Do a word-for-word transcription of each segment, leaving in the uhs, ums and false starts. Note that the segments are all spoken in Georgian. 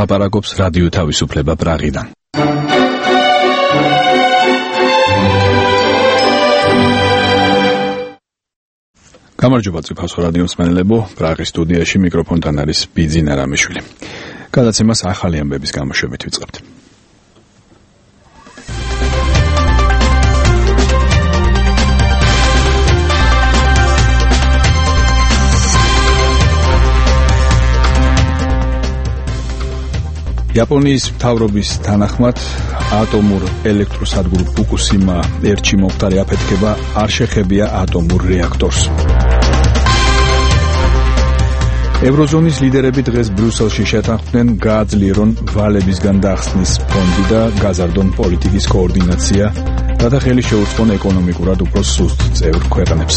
ლაპარაკობს რადიო თავისუფლება პრაღიდან. გამარჯობა წიფასო რადიო მსმენელებო, პრაღის სტუდიაში მიკროფონთან არის ბიძინა რამიშვილი. გადაცემას ახალი ამბების გამოშვებით ვიწყებთ. იაპონიის მთავრობის თანახმად ატომურ ელექტროსადგურ ფუკუსიმა ერთში მომხდარი აფეთქება არ შეხებია ატომურ რეაქტორს. ევროზონის ლიდერები დღეს ბრიუსელში შეთანხმდნენ გააძლიერონ ვალებისგან დახსნის ფონდი და გაზარდონ პოლიტიკის კოორდინაცია, რათა ხელი შეუწყონ ეკონომიკურად უფრო სუსტ წევრ ქვეყნებს.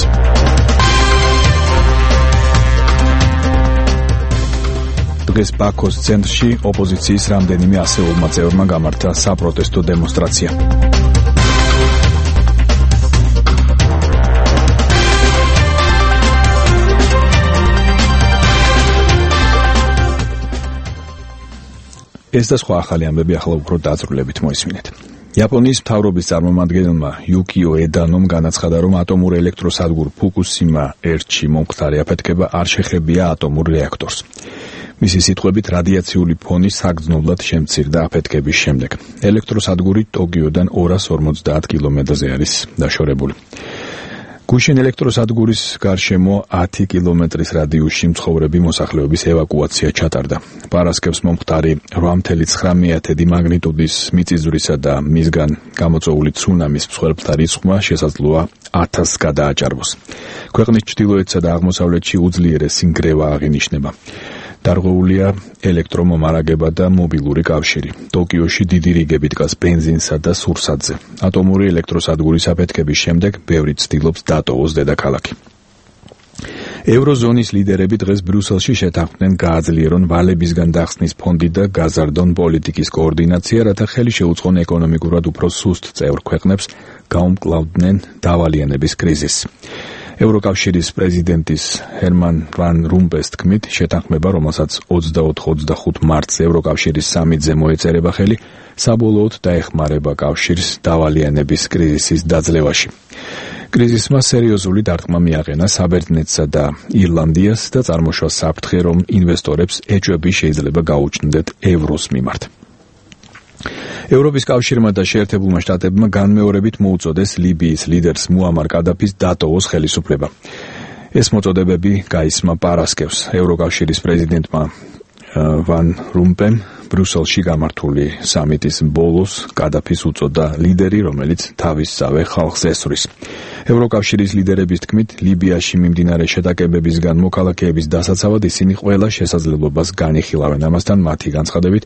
დღეს ბაქოს ცენტრში ოპოზიციის რამდენიმე ასეულმა წევრმა გამართა საპროტესტო დემონსტრაცია. ეს და სხვა ახალი ამბები ახლა უფრო დაწვრილებით მოისმინეთ. იაპონიის მთავრობის წარმომადგენელმა იუკიო ედანომ განაცხადა, რომ ატომურ ელექტროსადგურ ფუკუსიმა ერთში მომხდარი აფეთქება არ შეხებია ატომურ რეაქტორს. მისი სიტყვებით, რადიაციული ფონი საგრძნობლად შემცირდა აფეთქების შემდეგ. ელექტროსადგური ტოკიოდან ორას ორმოცდაათ კილომეტრზე არის დაშორებული. გუშინ ელექტროსადგურის გარშემო ათი კილომეტრის რადიუსში მცხოვრები მოსახლეობის ევაკუაცია ჩატარდა. პარასკევს მომხდარი რვა წუთი ცხრამეტი მაგნიტუდის მიწისძვრისა და მისგან გამოწვეული ცუნამის მსხვერპლთა რიცხვმა შესაძლოა ათასს გადააჭარბოს. ქვეყნის ჩრდილოეთსა და აღმოსავლეთში უძლიერესი ნგრევა აღინიშნება. დარღვეულია ელექტრომომარაგება და მობილური კავშირი. ტოკიოში დიდი რიგები დგას ბენზინსა და სურსათზე. ატომური ელექტროსადგურის აფეთქების შემდეგ ბევრი ცდილობს დატოვოს დედაქალაქი. ევროზონის ლიდერები დღეს ბრიუსელში შეთანხმდნენ გააძლიერონ ვალებისგან დახსნის ფონდი და გაზარდონ პოლიტიკის კოორდინაცია, რათა ხელი შეუწყონ ეკონომიკურად უფრო სუსტ წევრ ქვეყნებს გაუმკლავდნენ დავალიანების კრიზისს. ევროკავშირის პრეზიდენტის ჰერმან ვან რომპეს თქმით, შეთანხმება, რომელსაც ოცდაოთხ ოცდახუთ მარტს ევროკავშირის სამიტზე მოეწერება ხელი, საბოლოოდ დაეხმარება კავშირს დავალიანების კრიზისის დაძლევაში. კრიზისმა სერიოზული დარტყმა მიაყენა საბერძნეთსა და ირლანდიას და წარმოშვა საფრთხე, რომ ინვესტორებს ეჭვები შეიძლება გაუჩნდეთ ევროს მიმართ. ევროპის კავშირმა და შეერთებულმა შტატებმა განმეორებით მოუწოდეს ლიბიის ლიდერს მუამარ კადაფის დატოვოს ხელისუფლება. ეს მოწოდებები გაისმა პარასკევს ევროკავშირის პრეზიდენტმა ვან რომპემ ბრიუსელში გამართული სამიტის ბოლოს კადაფის უწოდა ლიდერი, რომელიც თავისსავე ხალხს ესვრის. ევროკავშირის ლიდერების თქმით, ლიბიაში მიმდინარე შეტაკებებისგან მოქალაქეების დასაცავად ისინი ყველა შესაძლებლობას განიხილავენ. ამასთან მათი განცხადებით,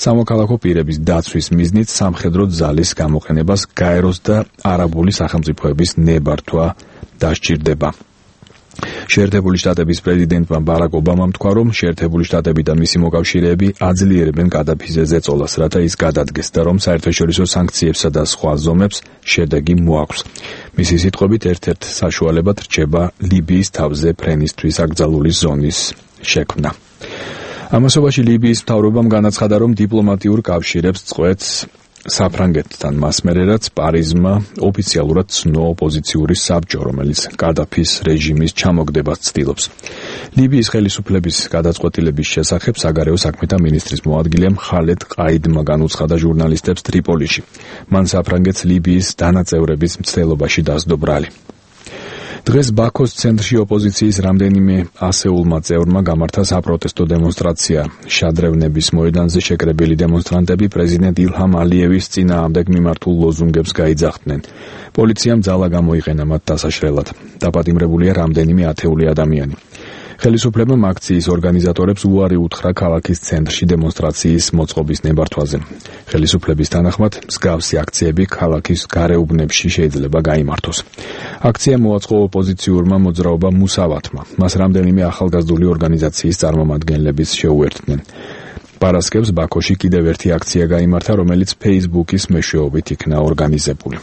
სამოქალაქო პირების დაცვის მიზნით სამხედრო ძალის გამოყენებას გაეროს და არაბული სახელმწიფოების ნებართვა დასჭირდება. შეერთებული შტატების პრეზიდენტმა ბარაკ ობამამ თქვა, რომ შეერთებული შტატები და მისი მოკავშირეები აძლიერებენ კადაფიზე ზეწოლას, რათა ის გადადგეს და რომ საერთაშორისო სანქციებსა და სხვა ზომებს შედეგი მოაქვს. მისი სიტყვებით, ერთ-ერთ საშუალებად რჩება ლიბიის თავზე ფრენისთვის აკრძალული ზონის შექმნა. ამასობაში ლიბიის მთავრობამ განაცხადა, რომ დიპლომატიურ კავშირებს წყვეტს საფრანგეთთან, მას მერე რაც პარიზმა ოფიციალურად ცნო ოპოზიციური საბჭო, რომელიც კადაფის რეჟიმის ჩამოგდებას ცდილობს. ლიბიის ხელისუფლების გადაწყვეტილების შესახებ საგარეო საქმეთა მინისტრის მოადგილემ ხალედ ყაიდმა განუცხადა ჟურნალისტებს ტრიპოლიში. მან საფრანგეთს ლიბიის დანაწევრების მცდელობაში დასდო ბრალი. დღეს ბაქოს ცენტრში ოპოზიციის რამდენიმე ასეულმა წევრმა გამართა საპროტესტო დემონსტრაცია. შადრევნების მოედანზე შეკრებილი დემონსტრანტები პრეზიდენტ ილჰამ ალიევის წინააღმდეგ მიმართულ ლოზუნგებს გაიძახდნენ. პოლიციამ ძალა გამოიყენა მათ დასაშრელად. დაპატიმრებულია რამდენიმე ათეული ადამიანი. ხელისუფლებამ აქციის ორგანიზატორებს უარი უთხრა ქალაქის ცენტრში დემონსტრაციის მოწყობის ნებართვაზე. ხელისუფლების თანახმად, მსგავსი აქციები ქალაქის გარეუბნებში შეიძლება გაიმართოს. აქცია მოაწყო ოპოზიციურმა მოძრაობა მუსავათმა. მას რამდენიმე ახალგაზრდული ორგანიზაციის წარმომადგენლებიც შეუერთდნენ. პარასკევს ბაქოში კიდევ ერთი აქცია გაიმართა, რომელიც Facebook-ის მეშვეობით იქნა ორგანიზებული.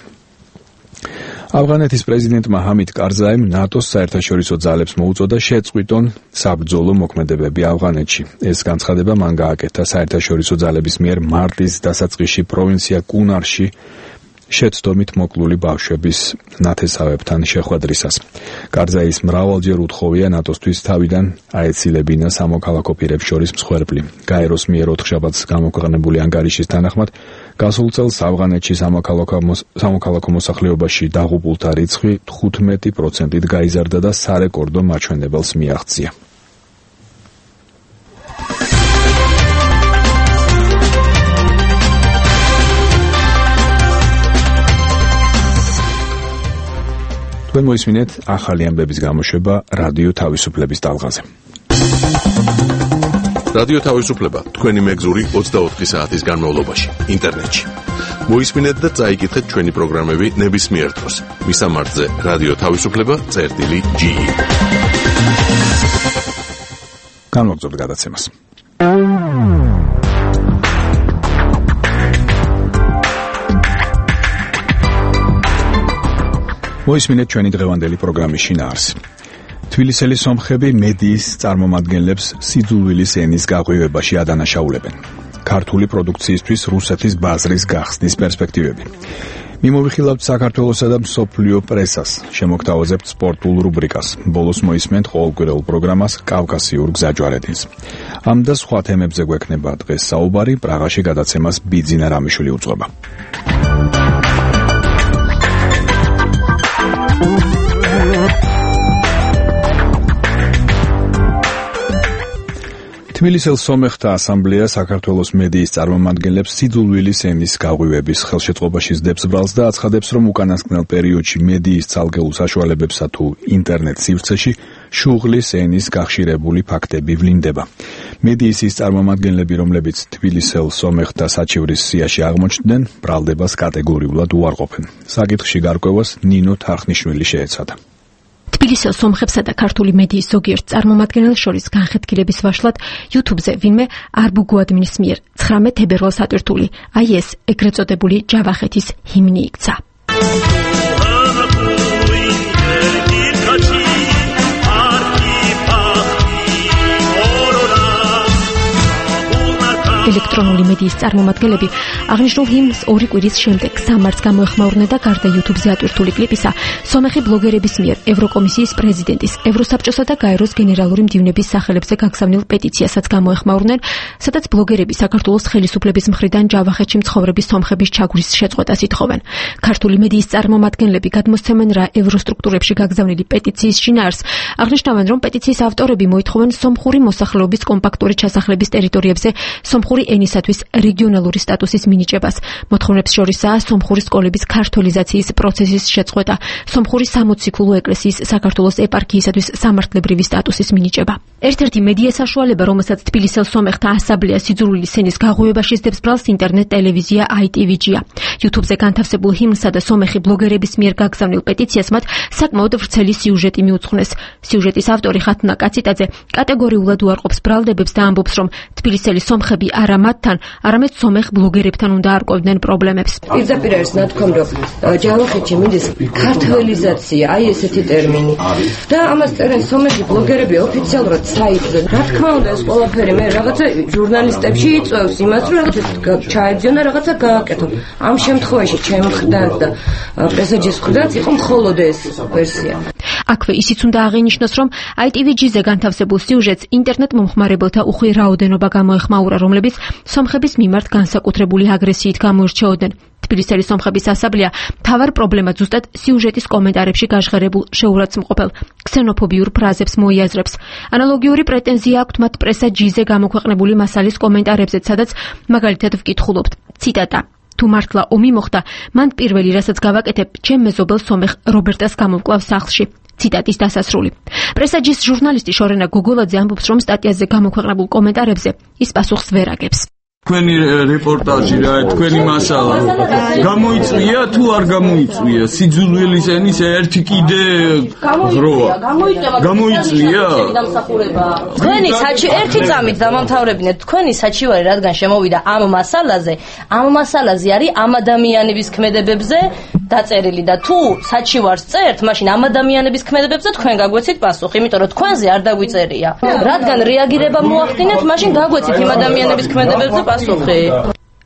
ავღანეთის პრეზიდენტმა ჰამიდ კარზაიმ ნატოს საერთაშორისო ძალებს მოუწოდა შეწყვიტონ საბრძოლო მოქმედებები ავღანეთში. ეს განცხადება მან გააკეთა საერთაშორისო ძალების მიერ მარტის დასაწყისში პროვინცია კუნარში შეცდომით მოკლული ბავშვების ნათესავებთან შეხვედრისას. კარზაის მრავალჯერ უთხოვია ნატოსთვის თავიდან აეცილებინა სამოქალაქო პირებს შორის მსხვერპლი. გაეროს მიერ ოთხშაბათს გამოქვეყნებული ანგარიშის თანახმად გასულ წელს ავღანეთში სამოქალაქო მოსახლეობაში დაღუპულთა რიცხვი თხუთმეტი პროცენტით გაიზარდა და სარეკორდო მაჩვენებელს მიაღწია. თქვენ მოისმინეთ ახალი ამბების გამოშვება რადიო თავისუფლების ტალღაზე. რადიო თავისუფლება თქვენი მეგზური ოცდაოთხი საათის განმავლობაში ინტერნეტში. მოისმინეთ და წაიკითხეთ ჩვენი პროგრამები ნებისმიერ დროს. მისამართზე რადიო თავისუფლება წერტილი ჯი. განვაგრძობთ გადაცემას. მოისმინეთ ჩვენი დღევანდელი პროგრამის შინაარსი. თბილისელი სომხები მედიის წარმომადგენლებს სიძულვილის ენის გაღვივებაში ადანაშაულებენ. ქართული პროდუქციისთვის რუსეთის ბაზრის გახსნის პერსპექტივები. მიმოვიხილავთ საქართველოსა და მსოფლიო პრესას, შემოგთავაზებთ სპორტულ რუბრიკას. ბოლოს მოისმენთ ყოველკვირეულ პროგრამას კავკასიურ გზაჯვარედინს. ამ და სხვა თემებზე გვექნება დღეს საუბარი, პრაღაში გადაცემას ბიძინა რამიშვილი უძღვება. თბილისელ სომეხთა ასამბლეა საქართველოს მედიის წარმომადგენლებს სიძულვილის ენის გაღვივების ხელშეწყობაში სდებს ბრალს და აცხადებს, რომ უკანასკნელ პერიოდში მედიის ცალკეულ საშუალებებსა თუ ინტერნეტ სივრცეში შუღლის ენის გახშირებული ფაქტები ვლინდება. მედიის ის წარმომადგენლები, რომლებიც თბილისელ სომეხთა საჩივრის სიაში აღმოჩნდნენ, ბრალდებას კატეგორიულად უარყოფენ. საკითხში გარკვევას ნინო თარხნიშვილი შეეცადა. თბილისელ სომხებსა და ქართული მედიის ზოგიერთ წარმომადგენელს შორის განხეთქილების ვაშლად YouTube-ზე ვინმე არბუგუ ადმინის მიერ ცხრამეტ თებერვალს ატვირთული აი ეს ეგრეთ წოდებული ჯავახეთის ჰიმნი იქცა. ელექტრონული მედიის წარმომადგენლები აღნიშნულ ჰიმნს ორი კვირის შემდეგ სამარს გამოეხმაურნენ და გარდა YouTube-ზე ატვირთული კლიპისა, სომეხი ბლოგერების მიერ ევროკომისიის პრეზიდენტის, ევროსაბჭოსა და გაეროს გენერალური მდივნების სახელებზე გაგზავნილ პეტიციასაც გამოეხმაურნენ, სადაც ბლოგერები საქართველოს ხელისუფლების მხრიდან ჯავახეთში მცხოვრების სომხების ჩაგვრის შეწყვეტას ითხოვენ. ქართული მედიის წარმომადგენლები გადმოსცემენ რა ევროსტრუქტურებში გაგზავნილი პეტიციის შინაარსს, აღნიშნავენ, რომ პეტიციის ავტორები მოითხოვენ სომხური მოსახლეობის კომპაქტური ჩასახლების ტერიტორიებზე სომხური ენისათვის რეგიონალური სტატუსის მინიჭებას. მოთხოვნებს შორისაა სომხური სკოლების ქართოლიზაციის პროცესის შეწყვეტა, სომხური სამოციქულო ეკლესიის საქართველოს ეპარქიისათვის სამართლებრივი სტატუსის მინიჭება. ერთ-ერთი მედია საშუალება, რომელსაც თბილისელ სომეხთა ასამბლეა სიძულვილის ენის გაღვივებაში სდებს ბრალს ინტერნეტ ტელევიზია აი ტი ვი ჯი-ია. YouTube-ზე განთავსებულ ჰიმნსა და სომეხი ბლოგერების მიერ გაგზავნილ პეტიციას მათ საკმაოდ ვრცელი სიუჟეტი მიუძღვნეს. სიუჟეტის ავტორი ხათუნა კაციტაძე კატეგორიულად უარყოფს ბრალდებებს და ამბობს, რომ თბილისელი სომხები არა მათთან, არამედ სომეხ ბლოგერებთან უნდა არკვევდნენ პრობლემებს. პირდაპირ არის ნათქვამი, რომ ჯავახეთში მინდის ქართლიზაცია, აი ესეთი ტერმინი. და ამას წერენ სომეხი ბლოგერები ოფიციალურად საიტზე. რა თქმა უნდა, ეს ყველაფერი მე რაღაცა ჟურნალისტებში იწვევს იმას, რომ რაღაცა ჩაებძიონ და რაღაცა გააკეთო. ამ შემთხვევაში ჩემ მხრიდან და პრესაჯის მხრიდან იყო მხოლოდ ეს ვერსია. აქვე ისიც უნდა აღინიშნოს, რომ აი ტი ვი ჯი-ზე განთავსებულ სიუჟეტს ინტერნეტ მომხმარებელთა უხვი რაოდენობა გამოეხმაურა, რომლებიც სომხების მიმართ განსაკუთრებული აგრესიით გამოირჩეოდნენ. თბილისელი სომხების ასამბლეა მთავარ პრობლემად ზუსტად სიუჟეტის კომენტარებში გაჟღერებულ შეურაცხმყოფელ ქსენოფობიურ ფრაზებს მოიაზრებს. ანალოგიური პრეტენზია აქვთ მათ პრესა ჯი-ზე გამოქვეყნებული მასალის კომენტარებზეც, სადაც მაგალითად ვკითხულობთ. ციტატა: თუ მართლა ომი მოხდა, მან პირველი რასაც გავაკეთებ, ჩემ მეზობელ სომეხ რობერტას გამოვკლავ სახლში. ციტატის დასასრული. პრესა ჯის ჟურნალისტი შორენა გოგოლაძე ამბობს, რომ სტატიაზე გამოქვეყნებულ კომენტარებზე ის პასუხს ვერ აგებს. თქვენი რეპორტაჟი რა, თქვენი მასალა გამოიწვია თუ არ გამოიწვია? სიძულვილის ენის ერთი კიდე ღროა. გამოიწვია? თქვენი საჩი ერთი წამით დამამთავრებინეთ თქვენი საჩივარი რადგან შემოვიდა ამ მასალაზე, ამ მასალაზე არის ამ ადამიანების ქმედებებზე დაწერილი და თუ საჩივარს წერთ, მაშინ ამ ადამიანების ქმედებებზე თქვენ გაგვეცით პასუხი, იმიტომ რომ თქვენზე არ დაგვიწერია. რადგან რეაგირება მოახდინეთ, მაშინ გაგვეცით იმ ადამიანების ქმედებებზე პასუხი.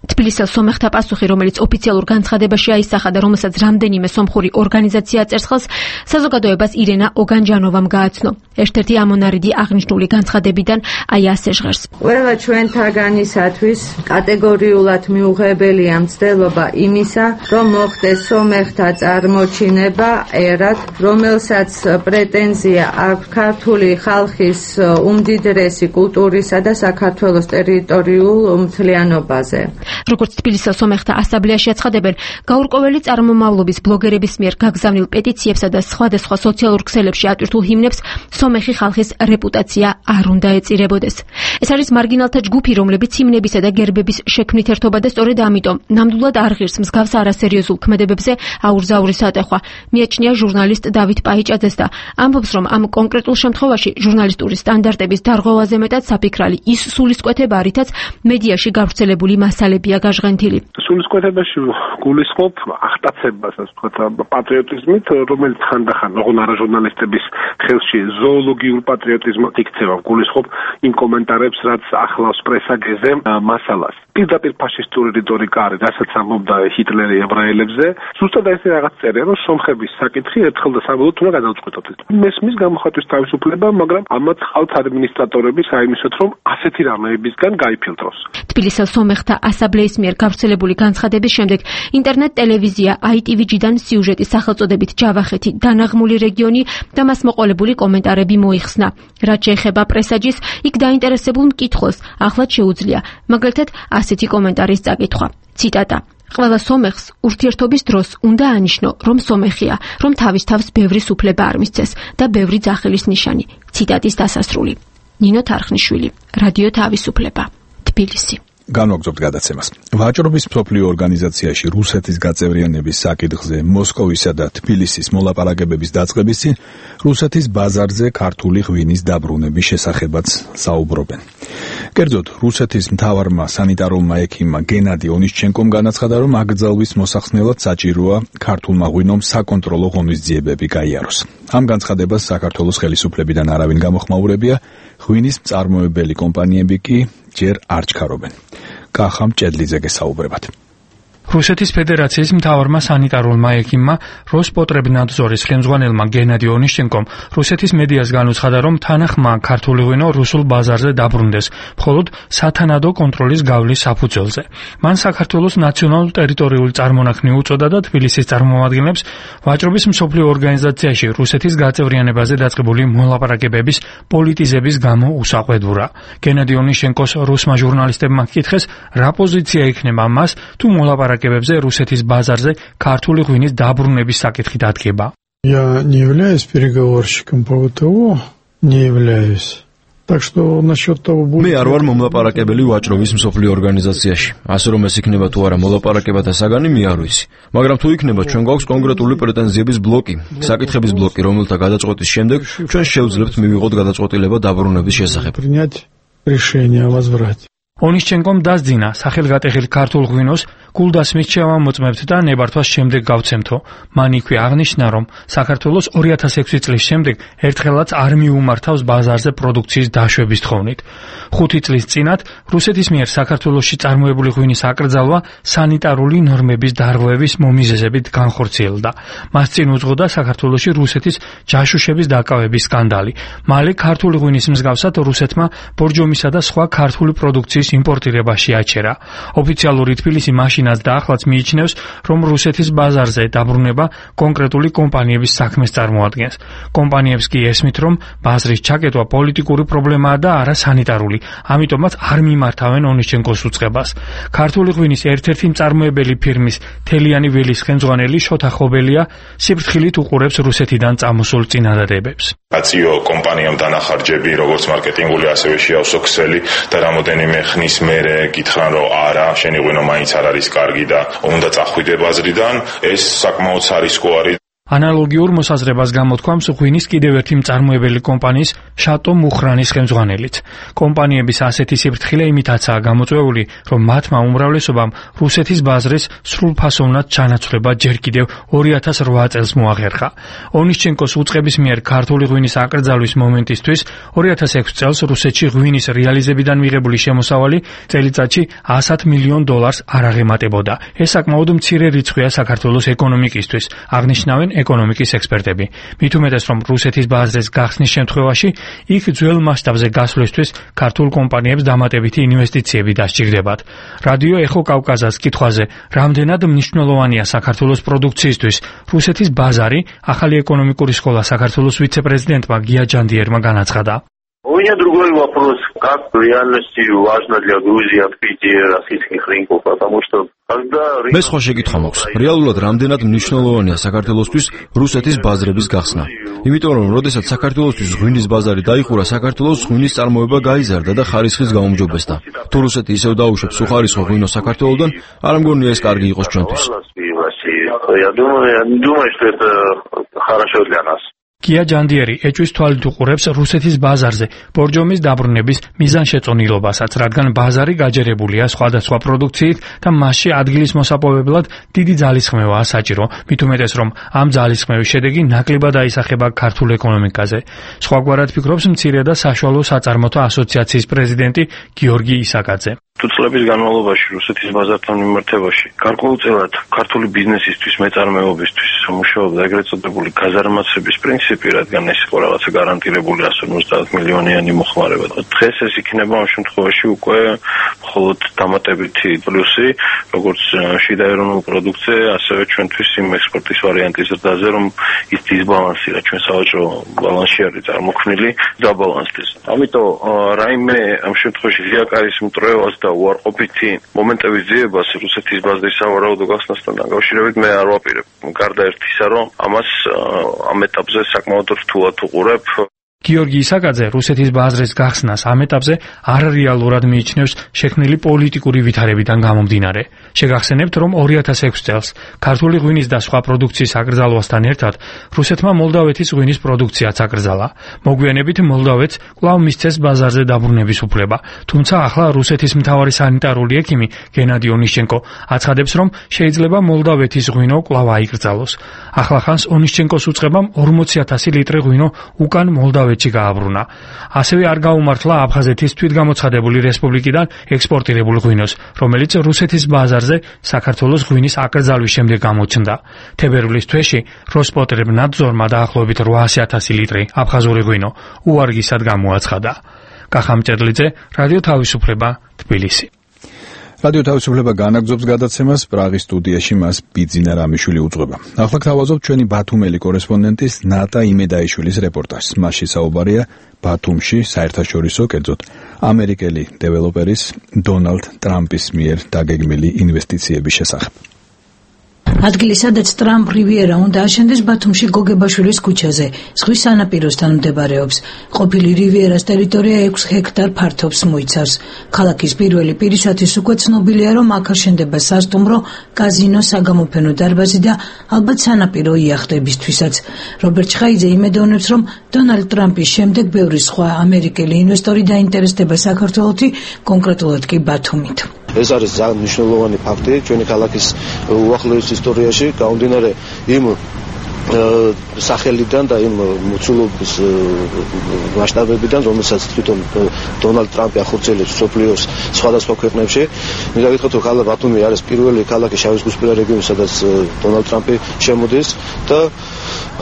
თბილისის სომეხთა პასუხი, რომელიც ოფიციალურ განცხადებაში აისახა და რომელსაც რამდენიმე სომხური ორგანიზაცია წერს ხელს, საზოგადოებას ირენა ოგანჯანოვამ გააცნო. ერთ-ერთი ამონარიდი აღნიშნული განცხადებიდან აი ასე ჟღერს. ყველა ჩვენთაგანისათვის კატეგორიულად მიუღებელია მცდელობა იმისა, რომ მოხდეს სომეხთა წარმოჩინება ერად, რომელსაც პრეტენზია აქვს ქართული ხალხის უმდიდრესი კულტურისა და საქართველოს ტერიტორიულ მთლიანობაზე. როგორც თბილისის სომეხთა ასამბლეაში აცხადებენ, გაურკვეველი წარმომავლობის ბლოგერების მიერ გაგზავნილ პეტიციებსა და სხვადასხვა სოციალურ ქსელებში ატვირთულ ჰიმნებს სომეხი ხალხის რეპუტაცია არ უნდა ეწირებოდეს. ეს არის მარგინალთა ჯგუფი, რომლებიც ჰიმნებისა და გერბების შექმნით ერთობა და სწორედ ამიტომ ნამდვილად არ ღირს მსგავს არასერიოზულ ქმედებებზე აურზაურის ატეხვა. მიაჩნია ჟურნალისტ დავით პაიჭაძეს და ამბობს, რომ ამ კონკრეტულ შემთხვევაში ჟურნალისტური სტანდარტების დარღვევაზე მეტად საფიქრალი ის სულისკვეთება, რითაც მედიაში გავრცელებული მასალებია გაჟღენთილი. სულისკვეთებაში გულისხმობ აღტაცებას, ასე ვთქვათ, პატრიოტიზმით, რომელიც ხანდახან ოღონდ ჟურნალისტების ხელში ზოოლოგიურ პატრიოტიზმად იქცევა. გულისხმობ იმ კომენტარებს, რაც ახლავს პრესაგეზე მასალას. პირდაპირ ფაშისტური რიტორიკა არის, რასაც ამბობდა ჰიტლერი ებრაელებზე. ზუსტად ესე რაღაც წერია, რომ სომხების საკითხი ერთხელ და საბოლოოდ უნდა გადავწყვეტოთ. მესმის გამოხატვის თავისუფლება, მაგრამ ამათ ხალთ ადმინისტრატორები საიმისოთ, რომ ასეთი რამეებისგან გაიფილტროს. თბილისის სომეხთა ასამბლეის მიერ გავრცელებული განცხადების შემდეგ ინტერნეტ ტელევიზია აი ტი ვი ჯი-დან სიუჟეტის სახელწოდებით ჯავახეთი დანაღმული რეგიონი და მას მოყოლებული კომენტარები მოიხსნა. რაც შეეხება პრესაჯის, იქ დაინტერესებულ მკითხველს ახლად შეუძლია მაგალითად ასეთი კომენტარის წაკითხვა. ციტატა: ყველა სომეხს ურთიერთობის დროს უნდა ანიშნო, რომ სომეხია, რომ თავის თავს ბევრი სუფლება არ მისცეს და ბევრი ძახილის ნიშანი. ციტატის დასასრული. ნინო თარხნიშვილი, რადიო თავისუფლება, თბილისი. განვაგრძობთ გადაცემას. ვაჭრობის მსოფლიო ორგანიზაციაში რუსეთის გაწევრიანების საკითხზე მოსკოვისა და თბილისის მოლაპარაკებების დაწყების წინ რუსეთის ბაზარზე ქართული ღვინის დაბრუნების შესახებაც საუბრობენ. კერძოდ, რუსეთის მთავარმა სანიტარულმა ექიმმა გენადი ონისჩენკომ განაცხადა, რომ აკრძალვის მოსახსნელად საჭიროა ქართულმა ღვინომ საკონტროლო ღონისძიებები გაიაროს. ამ განცხადებას საქართველოს ხელისუფლებიდან არავინ გამოხმაურებია, ღვინის მწარმოებელი კომპანიები კი ჯერ არ ჩქარობენ. კახა მჭედლიძე გესაუბრებათ. რუსეთის ფედერაციის მთავარმა სანიტარულმა ექიმმა როსპოტრებნადზორის ხელმძღვანელმა გენადი ონისჩენკომ რუსეთის მედიას განუცხადა, რომ თანახმა ქართული ღვინო რუსულ ბაზარზე დაბრუნდეს, მხოლოდ სათანადო კონტროლის გავლის საფუძველზე. მან საქართველოს ნაციონალურ ტერიტორიულ წარმონაქმნი უწოდა და თბილისის წარმომადგენლებს ვაჭრობის მსოფლიო ორგანიზაციაში რუსეთის გაწევრიანებაზე დაწყებული მოლაპარაკებების პოლიტიზების გამო უსაყვედურა. გენადი ონისჩენკოს რუსმა ჟურნალისტებმა ჰკითხეს, რა პოზიცია იქნება მას თუ მოლაპარაკებებზე რუსეთის ბაზარზე ქართული ღვინის დაბრუნების საკითხი დადგება. Я не являюсь переговорщиком по ВТО, не являюсь. Так что насчет того будет. მე არ ვარ მომლაპარაკებელი ვაჭრობის მსოფლიო ორგანიზაციაში. ასე რომ ეს იქნება თუ არა მოლაპარაკებათა საგანი, მე არ ვიცი. მაგრამ თუ იქნება, ჩვენ გვაქვს კონკრეტული პრეტენზიების ბლოკი, საკითხების ბლოკი, რომელთა გადაწყვეტის შემდეგ ჩვენ შევძლებთ მივიღოთ გადაწყვეტილება დაბრუნების შესახებ. Принять решение о возврате. ონისჩენკომ დასძინა სახელგატეხილ ქართულ ღვინოს გულდასმით შევამოწმებთ და ნებართვას შემდეგ გავცემთო. მან იქვე აღნიშნა, რომ საქართველოს ორი ათას ექვსი წლის შემდეგ ერთხელაც არ მიუმართავს ბაზარზე პროდუქციის დაშვების თხოვნით. ხუთი წლის წინათ რუსეთის მიერ საქართველოში წარმოებული ღვინის აკრძალვა სანიტარული ნორმების დარღვევის მომიზეზებით განხორციელდა. მას წინ უძღოდა საქართველოში რუსეთის ჯაშუშების დაკავების სკანდალი. მალე ქართული ღვინის მსგავსად რუსეთმა ბორჯომისა და სხვა ქართული პროდუქციის იმპორტირებაში აჩერა. ოფიციალური თბილისი მაშინაც და ახლაც მიიჩნევს, რომ რუსეთის ბაზარზე დაბრუნება კონკრეტული კომპანიების საქმეს წარმოადგენს. კომპანიებს კი ესმით, რომ ბაზრის ჩაკეტვა პოლიტიკური პრობლემაა და არა სანიტარული, ამიტომაც არ მიმართავენ ონისჩენკოს უწყებას. ქართული ღვინის ერთ-ერთი მწარმოებელი ფირმის თელიანი ველის ხელმძღვანელი შოთა ხობელია სიფრთხილით უყურებს რუსეთიდან წამოსულ წინადადებებს. აციო კომპანიამ დანახარჯები, როგორც მარკეტინგული, ასევე შეავსო ქსელი და რამოდენიმე ხნით ხნის მერე გითხრან რომ არა, შენი ღვინო მაინც არ არის კარგი და უნდა წახვიდე ბაზრიდან, ეს საკმაოდ სარისკო არის. ანალოგიურ მოსაზრებას გამოთქვამს ღვინის კიდევ ერთი მწარმოებელი კომპანიის შატო მუხრანის ხელმძღვანელიც. კომპანიების ასეთი სიფრთხილე იმითაცაა გამოწვეული, რომ მათმა უმრავლესობამ რუსეთის ბაზრის სრულფასოვნად ჩანაცვლება ჯერ კიდევ ორი ათას ოთხ წელს მოახერხა. ონიშჩენკოს უწყების მიერ ქართული ღვინის აკრძალვის მომენტისთვის ორი ათას ექვსი წელს რუსეთში ღვინის რეალიზებიდან მიღებული შემოსავალი წელიწადში sto მილიონ დოლარს არ აღემატებოდა. ეს საკმაოდ მცირე რიცხვია საქართველოს ეკონომიკისთვის, აღნიშნავენ ეკონომიკის ექსპერტები. მით უმეტეს, რომ რუსეთის ბაზრის გახსნის შემთხვევაში იქ ძველ მასშტაბზე გასვლისთვის ქართულ კომპანიებს დამატებითი ინვესტიციები დასჭირდებათ. რადიო ეხო კავკასიის კითხვაზე, რამდენად მნიშვნელოვანია საქართველოს პროდუქციისთვის რუსეთის ბაზარი, ახალი ეკონომიკური სკოლა საქართველოს ვიცე-პრეზიდენტმა გია ჯანდიერმა განაცხადა. У меня другой вопрос, как в реальности важно для Грузии открытие российских рынков, потому что когда... მე სხვა შეკითხვა მაქვს. რეალურად რამდენად მნიშვნელოვანია საქართველოსთვის რუსეთის ბაზრების გახსნა? იმიტომ რომ როდესაც საქართველოსთვის ღვინის ბაზარი დაიხურა, საქართველოს ღვინის წარმოება გაიზარდა და ხარისხის გაუმჯობესდა. თუ რუსეთი ისევ დაუშვებს უხარისხო ღვინოს საქართველოსდან, არ მგონია ეს კარგი იყოს ჩვენთვის. Я думаю, я не думаю, что это хорошо для нас. გია ჯანდიერი ეჭვის თვალით უყურებს რუსეთის ბაზარზე ბორჯომის დაბრუნების მიზანშეწონილობასაც, რადგან ბაზარი გაჯერებულია სხვადასხვა პროდუქციით და მასში ადგილის მოსაპოვებლად დიდი ძალისხმევაა საჭირო, მით უმეტეს, რომ ამ ძალისხმევის შედეგი ნაკლებად აისახება ქართულ ეკონომიკაზე. სხვაგვარად ფიქრობს მცირე და საშუალო საწარმოთა ასოციაციის პრეზიდენტი გიორგი ისაკაძე. თუ წლების განმავლობაში რუსეთის ბაზართან მიმართებაში გარკვეულწილად ქართული ბიზნესისთვის, მეწარმეობისთვის მუშაობდა ეგრეთ წოდებული გაზარმაცების პრინციპი, რადგან ეს იყო რაღაცა გარანტირებული sto ოცდაათ მილიონიანი მოხმარება. დღეს ეს იქნება ამ შემთხვევაში უკვე მხოლოდ დამატებითი პლუსი, როგორც შიდა ეროვნულ პროდუქტზე, ასევე ჩვენთვის იმ ექსპორტის ვარიანტის ზრდაზე, რომ ის დისბალანსი, რა ჩვენ სავაჭრო ბალანსში არის წარმოქმნილი, დაბალანსდეს. ამიტომ რაიმე ამ შემთხვევაში ზიაკარის მტრევას და უარყოფითი მომენტების ძიებას რუსეთის ბაზრის სავარაუდო გახსნასთან დაკავშირებით მე არ ვაპირებ. გარდა ერთისა, რომ ამას ამ ეტაპზე საკმაოდ რთულად უყურებ. გიორგი ისაკაძე რუსეთის ბაზრის გახსნას ამ ეტაპზე არარეალურად მიიჩნევს შექმნილი პოლიტიკური ვითარებიდან გამომდინარე. შეგახსენებთ, რომ ორი ათას ექვსი წელს ქართული ღვინის და სხვა პროდუქციის აკრძალვასთან ერთად რუსეთმა მოლდავეთის ღვინის პროდუქციაც აკრძალა. მოგვიანებით მოლდავეთს კვლავ მისცეს ბაზარზე დაბრუნების უფლება, თუმცა ახლა რუსეთის მთავარი სანიტარული ექიმი გენადი ონიშჩენკო აცხადებს, რომ შეიძლება მოლდავეთის ღვინო კვლავ აიკრძალოს. ახლახანს ონიშჩენკოს უწყებამ ორმოცი ათასი ლიტრი ღვინო უკან მოლდავეთში გააბრუნა. ასევე არ გაუმართლა აფხაზეთის თვითგამოცხადებული რესპუბლიკიდან ექსპორტირებულ ღვინოს, რომელიც რუსეთის ბაზარზე საქართველოს ღვინის აკრძალვის შემდეგ გამოჩნდა. თებერვლის თვეში როსპოტრებნადზორმა დაახლოებით ოთხასი ათასი ლიტრი აფხაზური ღვინო უარგისად გამოაცხადა. კახა მჭედლიძე, რადიო თავისუფლება, თბილისი. რადიო თავისუფლება განაგრძობს გადაცემას, პრაღის სტუდიაში მას ბიძინა რამიშვილი უძღვება. ახლა გთავაზობთ ჩვენი ბათუმელი კორესპონდენტის ნატა იმედაიშვილის რეპორტაჟს. მასში საუბარია ბათუმში საერთაშორისო, კერძოდ ამერიკელი დეველოპერის დონალდ ტრამპის მიერ დაგეგმილი ინვესტიციების შესახებ. ადგილი, სადაც ტრამპ რივიერა უნდა აშენდეს ბათუმში გოგებაშვილის ქუჩაზე, ზღვის სანაპიროსთან მდებარეობს. ყოფილი რივიერას ტერიტორია ექვს ჰექტარ ფართობს მოიცავს. ქალაქის პირველი პირისათვის უკვე ცნობილია, რომ აქ აშენდება სასტუმრო, კაზინო, საგამოფენო დარბაზი და ალბათ სანაპირო იახტებისთვისაც. რობერტ ჩხაიძე იმედოვნებს, რომ დონალდ ტრამპის შემდეგ ბევრი სხვა ამერიკელი ინვესტორი დაინტერესდება საქართველოთი, კონკრეტულად კი ბათუმით. ეს არის ძალიან მნიშვნელოვანი ფაქტი ჩვენი ქალაქის უახლოეს ისტორიაში, გამომდინარე იმ სახელიდან და იმ მოცულობის მასშტაბებიდან, რომელსაც თვითონ დონალდ ტრამპი ახორციელებს მსოფლიოს სხვადასხვა ქვეყნებში. მინდა გითხრათ, რომ ქალაქ ბათუმი არის პირველი ქალაქი შავიზღვისპირა რეგიონი, სადაც დონალდ ტრამპი შემოდის და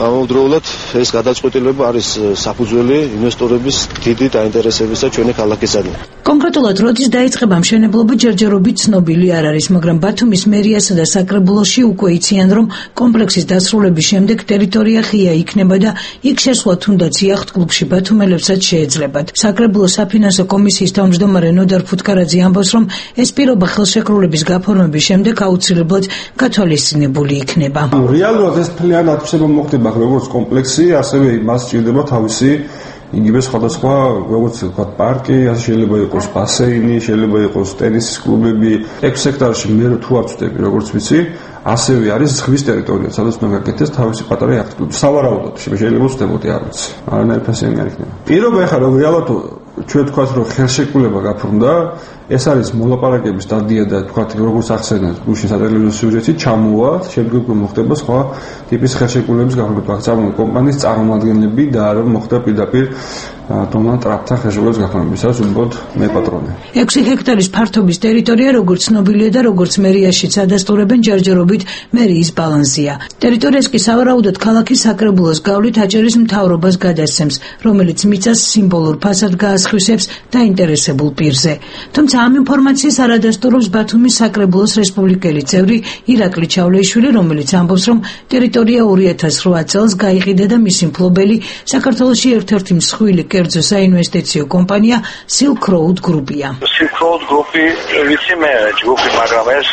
ამავდროულად ეს გადაწყვეტილება არის საფუძველი ინვესტორების დიდი დაინტერესებისა ჩვენი ქალაქისადმი. კონკრეტულად როდის დაიწყება მშენებლობა ჯერჯერობით ცნობილი არ არის, მაგრამ ბათუმის მერიასა და საკრებულოში უკვე იციან, რომ კომპლექსის დასრულების შემდეგ ტერიტორია ღია იქნება და იქ შესვლა თუნდაც იახტ-კლუბში ბათუმელებსაც შეეძლებათ. საკრებულოს საფინანსო კომისიის თავმჯდომარე ნოდარ ფუტკარაძე ამბობს, რომ ეს პირობა ხელშეკრულების გაფორმების შემდეგ აუცილებლად გათვალისწინებული იქნება. რეალურად ეს მთლიანად ხდება მოხდება როგორც კომპლექსი, ასევე მას სჭირდება თავისი იგივე სხვადასხვა როგორც ვთქვათ პარკი, ასე შეიძლება იყოს ბასეინი, შეიძლება იყოს ტენისის კლუბები. ექვს ჰექტარში მე თუ არ ვწდები, როგორც ვიცი, ასევე არის ზღვის ტერიტორია, სადაც უნდა გაკეთდეს თავისი პატარა იახტკლუბი. სავარაუდოდ შეიძლება ვწდებოდი, არ ვიცი. არანაირი ფასიანი არ იქნება. პირობა ეხლა რომ რეალურად ჩვენ თქვათ რომ ხელშეკრულება გაფრინდა, ეს არის მოლაპარაკების სტადია და თქვათ როგორც ახსენეთ გუშინ სატელევიზიო სიუჟეტი ჩამოვა, შემდგომ მოხდება სხვა ტიპის ხელშეკრულების გაფრინდა. წარმოიდგინეთ კომპანიის წარმომადგენლები და არ მოხდა პირდაპირ დონალდ ტრამპთან ხელშეკრულების გაფორმება, სადაც უბრალოდ მე პატრონი. ექვსი ჰექტარის ფართობის ტერიტორია როგორც ცნობილია და როგორც მერიაშიც ადასტურებენ ჯერჯერობით მერიის ბალანსია. ტერიტორიას კი სავარაუდოდ ქალაქის საკრებულოს გავლით აჭარის მთავრობას გადასცემს, რომელიც მიწას სიმბოლურ ფასად გაასხვისებს დაინტერესებულ პირზე. თუმცა ამ ინფორმაციას არ ადასტურებს ბათუმის საკრებულოს რესპუბლიკელი წევრი ირაკლი ჩავლეიშვილი, რომელიც ამბობს, რომ ტერიტორია ორი ათას რვა წელს გაიყიდა და მისი მფლობელი საქართველოში ერთ-ერთი მსხვილი კერძო საინვესტიციო კომპანია Silk Road Group-ია. Silk Road Group-ი ვიცი მე ჯგუფი, მაგრამ ეს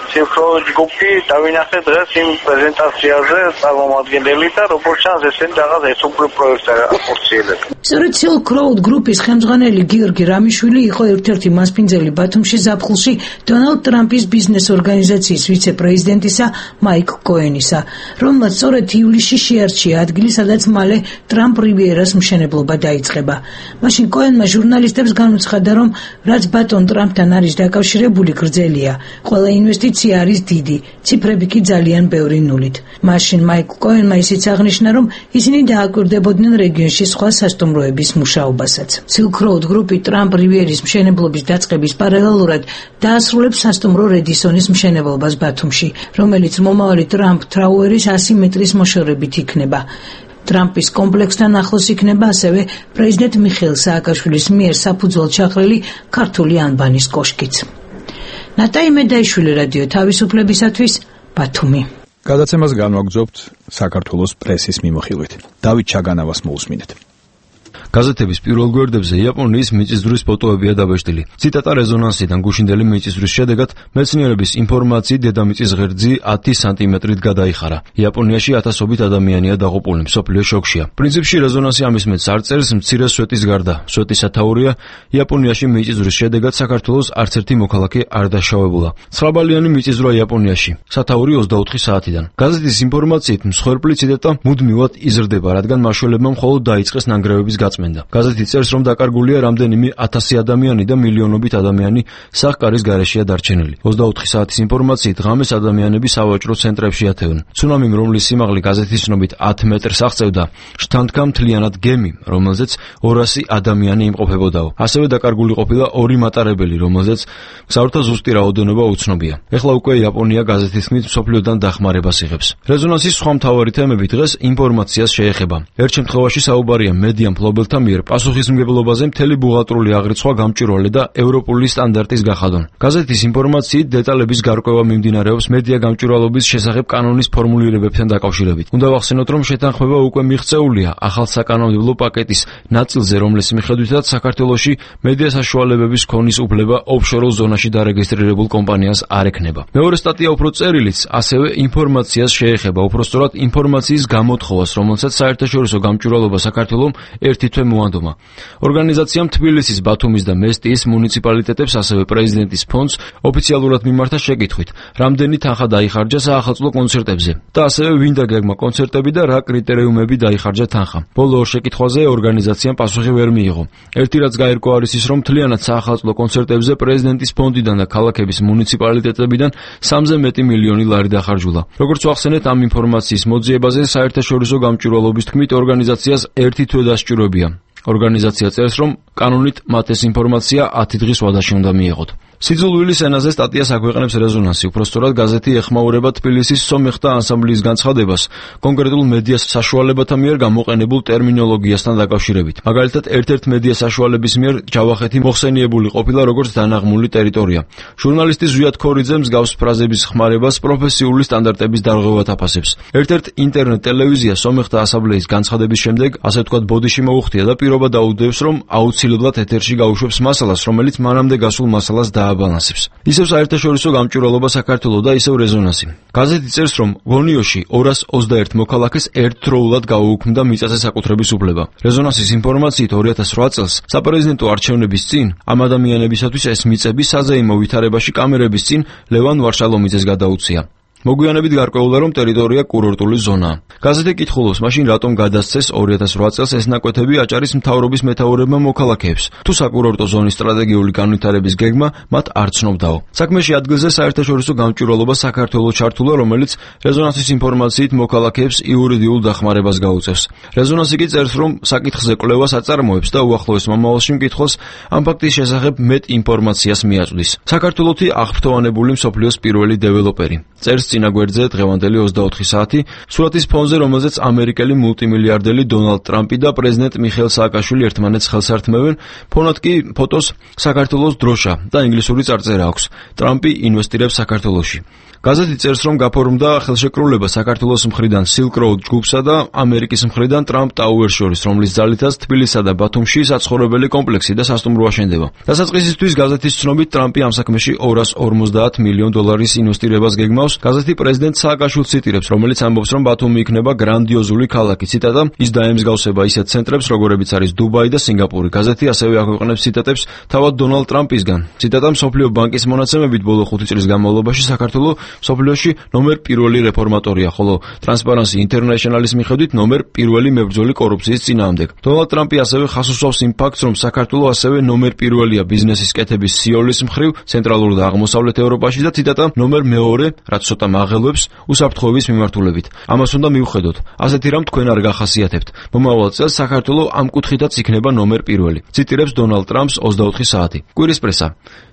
Silk Road Group-ი დავინახე დღეს იმ პრეზენტაციაზე წარმომადგენელი და როგორც ჩანს ესენი რაღაც ესოპრი პროექტს აფორციელებს. სწორედ Silk Road Group-ის ხელმძღვანელი გიორგი რამიშვილი იყო ერთ-ერთი მასპინძელი ბათუმში ზაფხულში დონალდ ტრამპის ბიზნეს ორგანიზაციის ვიცე-პრეზიდენტისა მაიკ კოენისა, რომელმაც სწორედ ივლისში შეარჩია ადგილი, სადაც მალე ტრამპ რივიერას მშენებლობა დაიწყება. მაშინ კოენმა ჟურნალისტებს განუცხადა, რომ რაც ბატონ ტრამპთან არის დაკავშირებული გრძელია, ყველა ინვესტიცია არის დიდი, ციფრები კი ძალიან ბევრი ნულით. მაშინ მაიკ კოენმა ისიც აღნიშნა, რომ ისინი დააკვირდებოდნენ რეგიონში სხვა სასტუმროების მუშაობასაც. Silk Road Group-ი ტრამპ რივიერის მშენებლობის დაწყების პარალელურად დაასრულებს სასტუმრო რედისონის მშენებლობას ბათუმში, რომელიც მომავალი ტრამპ თრაუერის ასი მეტრის მოშორებით იქნება. ტრამპის კომპლექსთან ახლოს იქნება ასევე პრეზიდენტ მიხეილ სააკაშვილის მიერ საფუძვლად ჩახრილი ქართული ანბანის კოშკიც. ნატაი მედაიშვილი, რადიო თავისუფლებისათვის, ბათუმი. გადაცემას განვაგრძობთ საქართველოს პრესის მიმოხილვით. დავით ჩაგანავას მოусმინეთ. გაზეთების პირველ გვერდებზე იაპონიის მიწისძვრის ფოტოებია დაბეჭდილი. ციტატა რეზონანსიდან გუშინდელი მიწისძვრის შედეგად მეცნიერების ინფორმაციით დედამიწის ღერძი ათი სანტიმეტრით გადაიხარა. იაპონიაში ათასობით ადამიანია დაღუპული, მსოფლიო შოკშია. პრინციპში რეზონანსი ამის მეტს არ წერს მცირე სვეტის გარდა. სვეტის სათაურია, იაპონიაში მიწისძვრის შედეგად საქართველოს არც ერთი მოქალაქე არ დაშავებულა. ცხრაბალიანი მიწისძვრა იაპონიაში. სათაური ოცდაოთხი საათიდან. გაზეთის ინფორმაციით მსხვერპლი ციტატა მუდმივად იზრდება, რადგან მაშველებმა მხოლოდ დაიწყეს ნანგრევების გაწმენდა. გაზეთი წერს, რომ დაკარგულია რამდენიმე ათასი ადამიანი და მილიონობით ადამიანი სახკარის გარეშეა დარჩენილი. ოცდაოთხი საათის ინფორმაციით ღამეს ადამიანები სავაჭრო ცენტრებში ათევენ. ცუნამიმ, რომლის სიმაღლე გაზეთის ცნობით ათი მეტრს აღწევდა, შთანთქა მთლიანად გემი, რომელზეც ორასი ადამიანი იმყოფებოდაო. ასევე დაკარგული ყოფილა ორი მატარებელი, რომელზეც მგზავრთა ზუსტი რაოდენობა უცნობია. ეხლა უკვე იაპონია გაზეთის თქმით მსოფლიოდან დახმარებას იღებს. რეზონანსის სხვა მთავარი თემები დღეს ინფორმაციას შეეხება. ერთ შემთხვევაში საუბარია მედია მფლობელთა მიერ პასუხისმგებლობაზე მთელი ბუღალტრული აღრიცხვა გამჭვირვალე და ევროპული სტანდარტის გახადონ. გაზეთის ინფორმაციით დეტალების გარკვევა მიმდინარეობს მედია გამჭვირვალობის შესახებ კანონის ფორმულირებებთან დაკავშირებით. უნდა ვახსენოთ, რომ შეთანხმება უკვე მიღწეულია ახალ საკანონმდებლო პაკეტის ნაწილზე, რომლის მიხედვითაც საქართველოში მედია საშუალებების ქონის უფლება ოფშორულ ზონაში დარეგისტრირებულ კომპანიას არ ექნება. მეორე სტატია უფრო წერილიც ასევე ინფორმაციას შეეხება, უпростоრად ინფორმაციის გამოთხოვას, რომელსაც საერთაშორისო გამჭვირვალობა საქართველოს ერთი თვე მოანდომა. ორგანიზაციამ თბილისის, ბათუმის და მესტიის მუნიციპალიტეტებს, ასევე პრეზიდენტის ფონდს ოფიციალურად მიმართა შეკითხვით, რამდენი თანხა დაიხარჯა საახალწლო კონცერტებზე და ასევე ვინ დაგეგმა კონცერტები და რა კრიტერიუმები დაიხარჯა თანხა. ბოლო ორ შეკითხვაზე ორგანიზაციამ პასუხი ვერ მიიღო. ერთი რაც გაირკვა არის ის, რომ მთლიანად საახალწლო კონცერტებზე პრეზიდენტის ფონდიდან და ქალაქების მუნიციპალიტეტებიდან სამზე მეტი მილიონი ლარი დახარჯულა. როგორც ვახსენეთ, ამ ინფორმაციის მოძიებაზე საერთაშორისო გამჭვირვალობის თქმით ორგანიზაციას ერთი თვე დასჭიროებია. ორგანიზაცია წერს, რომ კანონით მათ ეს ინფორმაცია ათი დღის ვადაში უნდა მიეღოთ. სიძულვილის ენაზე სტატიას აქვეყნებს რეზონანსი, უпростоრად გაზეთი ეხმაურება თბილისის სომეხთა ანსამბლის განცხადებას კონკრეტულ მედია საშუალებათა მიერ გამოყენებულ ტერმინოლოგიასთან დაკავშირებით. მაგალითად, ერთ-ერთ მედია საშუალების მიერ ჯავახეთი მოხსენიებული ყოფილა როგორც დანაღმული ტერიტორია. ჟურნალისტი ზვიად ქორიძე მსგავს ფრაზების ხმარებას პროფესიული სტანდარტების დარღვევად აფასებს. ერთ-ერთ ინტერნეტ ტელევიზია სომეხთა ასამბლეის განცხადების შემდეგ, ასე ვთქვათ, ბოდიში მოუხდია და პირობა დაუდევს, რომ აუცილებლად ეთერში გაუშვებს მასალას, რომელიც მანამდე გასულ მასალას და დააბალანსებს. ისევ საერთაშორისო გამჭვირვალობა საქართველოს და ისევ რეზონანსი. გაზეთი წერს, რომ გონიოში ორას ოცდაერთ მოქალაქეს ერთდროულად გაუუქმდა მიწაზე საკუთრების უფლება. რეზონანსის ინფორმაციით ორი ათას რვა წელს საპრეზიდენტო არჩევნების წინ ამ ადამიანებისათვის ეს მიწები საზეიმო ვითარებაში კამერების წინ ლევან ვარშალომიძეს გადაუცია. მოგვიანებით გარკვეულა, რომ ტერიტორია კურორტული ზონაა. გაზეთი კითხულობს, მაშინ რატომ გადასცეს ორი ათას რვა წელს ეს ნაკვეთები აჭარის მთავრობის მეთაურებმა მოქალაქეებს, თუ საკურორტო ზონის სტრატეგიული განვითარების გეგმა მათ არ ცნობდაო. საქმეში ადგილზე საერთაშორისო გამჭვირვალობა საქართველოს ჩართულა, რომელიც რეზონანსის ინფორმაციით მოქალაქეებს იურიდიულ დახმარებას გაუწევს. რეზონანსი კი წერს, რომ საკითხზე კვლევას აწარმოებს და უახლოეს მომავალში მკითხველს ამ ფაქტის შესახებ მეტ ინფორმაციას მიაწვდის. საქართველოთი აღფრთოვანებული მსოფლიოს პირველი დეველოპერი. წერს წინა გვერდზე დღევანდელი ოცდაოთხი საათი, სურათის ფონზე, რომელზეც ამერიკელი მულტიმილიარდელი დონალდ ტრამპი და პრეზიდენტ მიხეილ სააკაშვილი ერთმანეთს ხელს ართმევენ, ფონად კი ფოტოს საქართველოს დროშა და ინგლისური წარწერა აქვს. ტრამპი ინვესტირებს საქართველოში. გაზეთი წერს, რომ გაფორმდა ხელშეკრულება საქართველოს მხრიდან Silk Road ჯგუფსა და ამერიკის მხრიდან Trump Tower შორის, რომლის ძალითაც თბილისსა და ბათუმში საცხოვრებელი კომპლექსი და სასტუმრო აშენდება. დასაწყისისთვის გაზეთის ცნობით ტრამპი ამ საქმეში ორას ორმოცდაათ მილიონ დოლარის ინვესტირებას გეგმავს. გაზეთი პრეზიდენტ სააკაშვილს ციტირებს, რომელიც ამბობს, რომ ბათუმი იქნება გრანდიოზული ქალაქი. ციტატა: ის დაემსგავსება ისეთ ცენტრებს, როგორებიც არის დუბაი და სინგაპური. გაზეთი ასევე აქვეყნებს ციტატებს თავად დონალდ ტრამპისგან. ციტატა: მსოფლიო ბანკის მონაცემებით ბოლო ხუთი წლის განმავლობაში საქართველოს მსოფლიოში ნომერ პირველი რეფორმატორია, ხოლო Transparency International-ის მიხედვით ნომერ პირველი მებრძოლი კორუფციის წინააღმდეგ. დონალდ ტრამპი ასევე ხაზს უსვამს იმ ფაქტს, რომ საქართველოს ასევე ნომერ პირველია ბიზნესის კეთების სიოლის მხრივ ცენტრალურ და აღმოსავლეთ ევროპაში და ციტატა: ნომერ მეორე, რაც ცოტა მაღელვებს უსაფრთხოების მიმართულებით. ამას უნდა მივხედოთ. ასეთი რამ თქვენ არ გახასიათებთ. მომავალ წელს საქართველოს ამ კუთხითაც იქნება ნომერ პირველი. ციტირებს დონალდ ტრამპს ოცდაოთხი საათი. კვირის პრესა.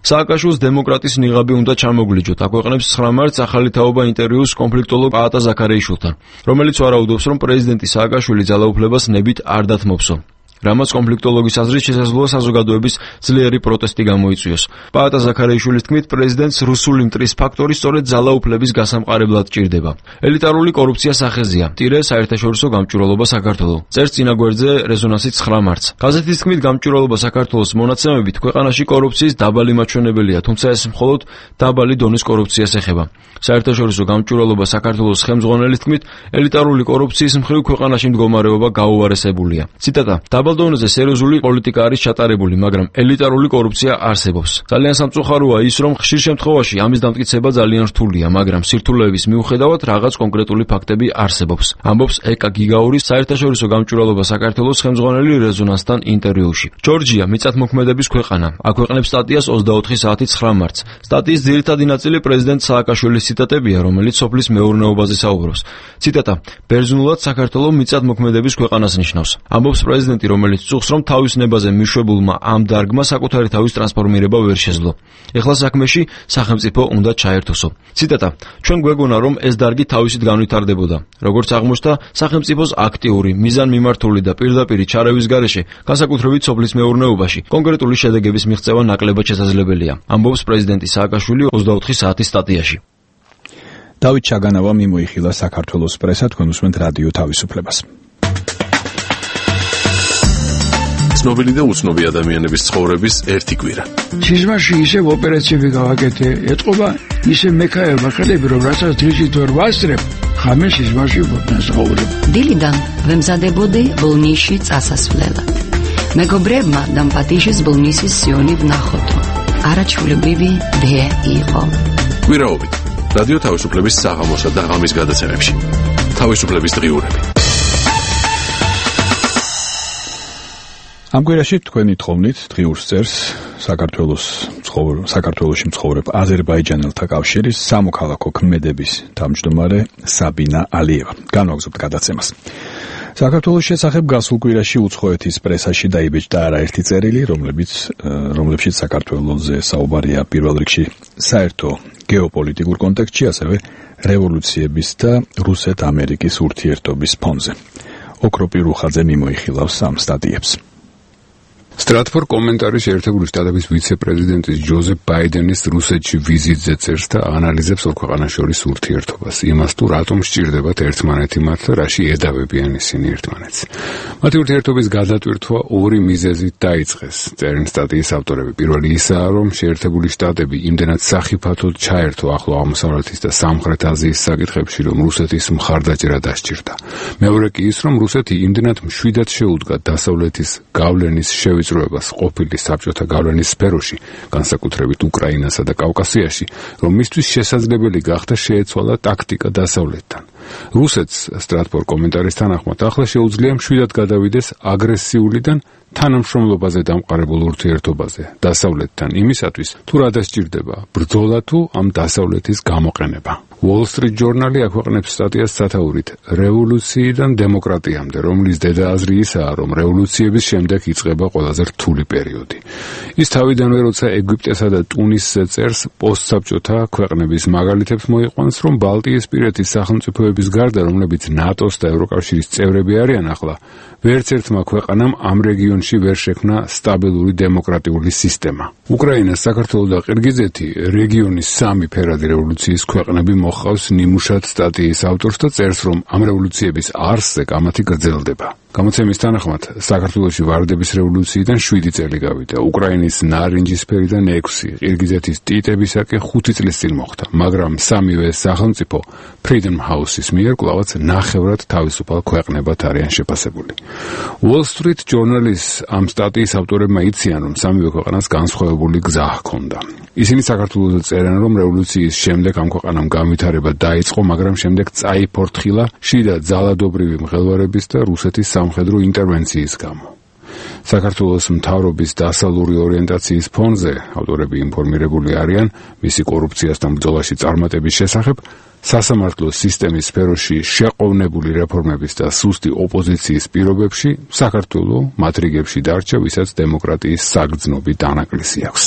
სააკაშვილს დემოკრატის ნიღაბი უნდა ჩამოგვლიჯოთ, აქვეყნებს ცხრა მარტს ახალი თაობა ინტერვიუს კონფლიქტოლოგ პაატა ზაქარეიშვილთან, რომელიც ვარაუდობს, რომ პრეზიდენტი სააკაშვილი ძალაუფლებას ნებით არ დათმობსო. რამაც კონფლიქტოლოგის აზრით შესაძლოა საზოგადოების ძლიერი პროტესტი გამოიწვიოს. პაატა ზაქარეიშვილის თქმით, პრეზიდენტს რუსული მტრის ფაქტორი სწორედ ძალაუფლების გასამყარებლად ჭირდება. ელიტარული კორუფცია სახეზია. ტირე საერთაშორისო გამჭვირვალობა საქართველოს. წერს წინა გვერდზე რეზონანსი ცხრა მარტს. გაზეთის თქმით, გამჭვირვალობა საქართველოს მონაცემებით ქვეყანაში კორუფციის დაბალი მაჩვენებელია, თუმცა ეს მხოლოდ დაბალი დონის კორუფციას ეხება. საერთაშორისო გამჭვირვალობა საქართველოს ხელმძღვანელის თქმით, ელიტარული კორუფციის მხრივ ქვეყანაში მდგომარეობა გაუარესებულია. ციტატა: დაბალ დონეზე სერიოზული პოლიტიკა არის ჩატარებული, მაგრამ ელიტარული კორუფცია არსებობს. ძალიან სამწუხაროა ის, რომ ხშირ შემთხვევაში ამის დამტკიცება ძალიან რთულია, მაგრამ სირთულეების მიუხედავად რაღაც კონკრეტული ფაქტები არსებობს. ამბობს ეკა გიგაურის საერთაშორისო გამჭვირვალობა საქართველოს ხელმძღვანელი რეზონანსთან ინტერვიუში. ჯორჯია მიწათმოქმედების ქვეყანა. აქვეყნებს სტატიას ოცდაოთხი საათი ცხრა მარტს. სტატიის ძირითადი ნაწილი პრეზიდენტ სააკაშვილის ციტატებია, რომელიც სოფლის მეურნეობაზე საუბრობს. ციტატა: ბერძნულად საქართველოს მიწათმოქმედების ქვეყანას ნიშნავს. ამბობს პრეზიდენტი, რომელიც წუხს, რომ თავის ნებაზე მიშვებულმა ამ დარგმა საკუთარი თავის ტრანსფორმირება ვერ შეძლო. ეხლა საქმეში სახელმწიფო უნდა ჩაერთოსო. ციტატა: ჩვენ გვეგონა, რომ ეს დარგი თავისით განვითარდებოდა. როგორც აღმოჩნდა, სახელმწიფოს აქტიური, მიზანმიმართული და პირდაპირი ჩარევის გარეშე, განსაკუთრებით სოფლის მეურნეობაში, კონკრეტული შედეგების მიღწევა ნაკლებად შესაძლებელია. ამბობს პრეზიდენტი სააკაშვილი ოცდაოთხი საათის სტატიაში. დავით ჩაგანავა მიმოიხილა საქართველოს პრესა, თქვენ უსმენთ რადიო თავისუფლებას. ცნობილი და უცნობი ადამიანების ცხოვრების ერთი კვირა. სიზმარში ისევ ოპერაციები გავაკეთე, ეთყობა ისე მექაება ხელები, რომ რასაც დღისით ვერ ვასწრებ, ხამე სიზმარში ვფასაუბრებ. დილიდან ვემზადებოდი ბოლნისში წასასვლელად. მეგობრებმა დამპატიჟეს ბოლნისის სიონი ვნახოთო. არაჩვეულებრივი დე იყო. კვირაობით რადიო თავისუფლების საღამოსა და ღამის გადაცემებში. თავისუფლების დღიურები. ამ კვირაში თქვენი თხოვნით დღიურს წერს საქართველოს მცხოვრებ საქართველოში მცხოვრებ აზერბაიჯანელთა კავშირის სამოქალაქო ქმედების თავმჯდომარე საბინა ალიევა. განვაგრძობთ გადაცემას. საქართველოს შესახებ გასულ კვირაში უცხოეთის პრესაში დაიბეჭდა არაერთი წერილი, რომლებიც რომლებშიც საქართველოზე საუბარია პირველ რიგში საერთო გეოპოლიტიკურ კონტექსტში, ასევე რევოლუციების და რუსეთ-ამერიკის ურთიერთობის ფონზე. ოქროპი რუხაძე მიმოიხილავს ამ სტატიებს. Stratfor კომენტარის ერთებული შტატების ვიცე-პრეზიდენტის ჯოზეფ ბაიდენის რუსეთში ვიზიტზე წერს და ანალიზებს ორ ქვეყანას შორის ურთიერთობას, იმას თუ რატომ სჭირდებათ ერთმანეთი მათ და რაში ედავებიან ისინი ერთმანეთს. მათი ურთიერთობის გადატვირთვა ორი მიზეზით დაიწყეს. წერენ სტატიის ავტორები. პირველი ისაა, რომ შეერთებული შტატები იმდენად სახიფათოდ ჩაერთო ახლო აღმოსავლეთის და სამხრეთ აზიის საკითხებში, რომ რუსეთის მხარდაჭერა დასჭირდა. მეორე კი ის, რომ რუსეთი იმდენად მშვიდად შეუდგა დასავლეთის გავლენის შევიწროებას ყოფილი საბჭოთა გავლენის სფეროში, განსაკუთრებით უკრაინასა და კავკასიაში, რომ მისთვის შესაძლებელი გახდა შეეცვალა ტაქტიკა დასავლეთთან. რუსეთს Stratfor კომენტარის თანახმად ახლა შეუძლია მშვიდად გადავიდეს აგრესიულიდან თანამშრომლობაზე დამყარებულ ურთიერთობაზე დასავლეთთან იმისათვის, თუ რა დასჭირდება, ბრძოლა თუ ამ დასავლეთის გამოყენება. Wall Street Journal-ი აქვეყნებს სტატიას სათაურით რევოლუციიდან დემოკრატიამდე, რომლის დედააზრი ისაა, რომ რევოლუციების შემდეგ იწყება ყველაზე რთული პერიოდი. ის თავიდანვე, როცა ეგვიპტესა და ტუნისზე წერს, პოსტსაბჭოთა ქვეყნების მაგალითებს მოიყვანს, რომ ბალტიისპირეთის სახელმწიფოების გარდა, რომლებიც ნატოს და ევროკავშირის წევრები არიან ახლა, ვერც ერთმა ქვეყანამ ამ რეგიონში ვერ შექმნა სტაბილური დემოკრატიული სისტემა. უკრაინა, საქართველო და ყირგიზეთი რეგიონის სამი ფერადი რევოლუციის ქვეყნები მოხავს ნიმუშად სტატიის ავტორს და წერს, რომ ამ რევოლუციების არსზე კამათი გრძელდება. გამოცემის თანახმად, საქართველოში ვარდების რევოლუციიდან შვიდი წელი გავიდა, უკრაინის ნარინჯისფერიდან ექვსი, ყირგიზეთის ტიტებისაკენ ხუთი წლის წინ მოხდა, მაგრამ სამივე სახელმწიფო Freedom House-ის მიერ კვლავაც ნახევრად თავისუფალ ქვეყნებად არიან შეფასებული. Wall Street Journal-ის ამ სტატიის ავტორებმა იციან, რომ სამივე ქვეყანას განსხვავებული გზა ჰქონდა. ისინი საქართველოზე წერენ, რომ რევოლუციის შემდეგ ამ ქვეყანამ განვითარება დაიწყო, მაგრამ შემდეგ წაიფორთხილა შიდა ძალადობრივი მღელვარების და რუსეთის სამხედრო ინტერვენციის გამო. საქართველოს მთავრობის დასავლური ორიენტაციის ფონზე ავტორები ინფორმირებული არიან მისი კორუფციასთან ბრძოლაში წარმატების შესახებ, სასამართლო სისტემის სფეროში შეყოვნებული რეფორმების და სუსტი ოპოზიციის პირობებში საქართველო მათ რიგებში დარჩა, ვისაც დემოკრატიის საგრძნობი დანაკლისი აქვს.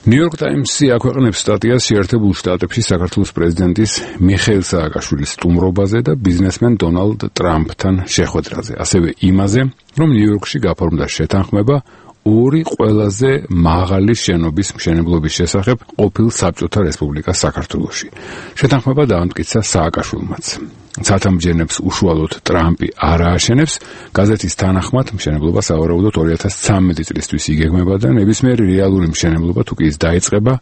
New York Times-ი აქვეყნებს სტატიას შეერთებულ შტატებში საქართველოს პრეზიდენტის მიხეილ სააკაშვილის სტუმრობაზე და ბიზნესმენ დონალდ ტრამპთან შეხვედრაზე, ასევე იმაზე, რომ ნიუ-იორკში გაფორმდა შეთანხმება ორი ყველაზე მაღალი შენობის მშენებლობის შესახებ ყოფილ საბჭოთა რესპუბლიკას საქართველოში. შეთანხმება დაამტკიცა სააკაშვილმაც. ცათამბჯენებს უშუალოდ ტრამპი არ ააშენებს, გაზეთის თანახმად მშენებლობა სავარაუდოდ ორი ათას ცამეტი წლისთვის იგეგმება და ნებისმიერი რეალური მშენებლობა თუ კი ის დაიწყება,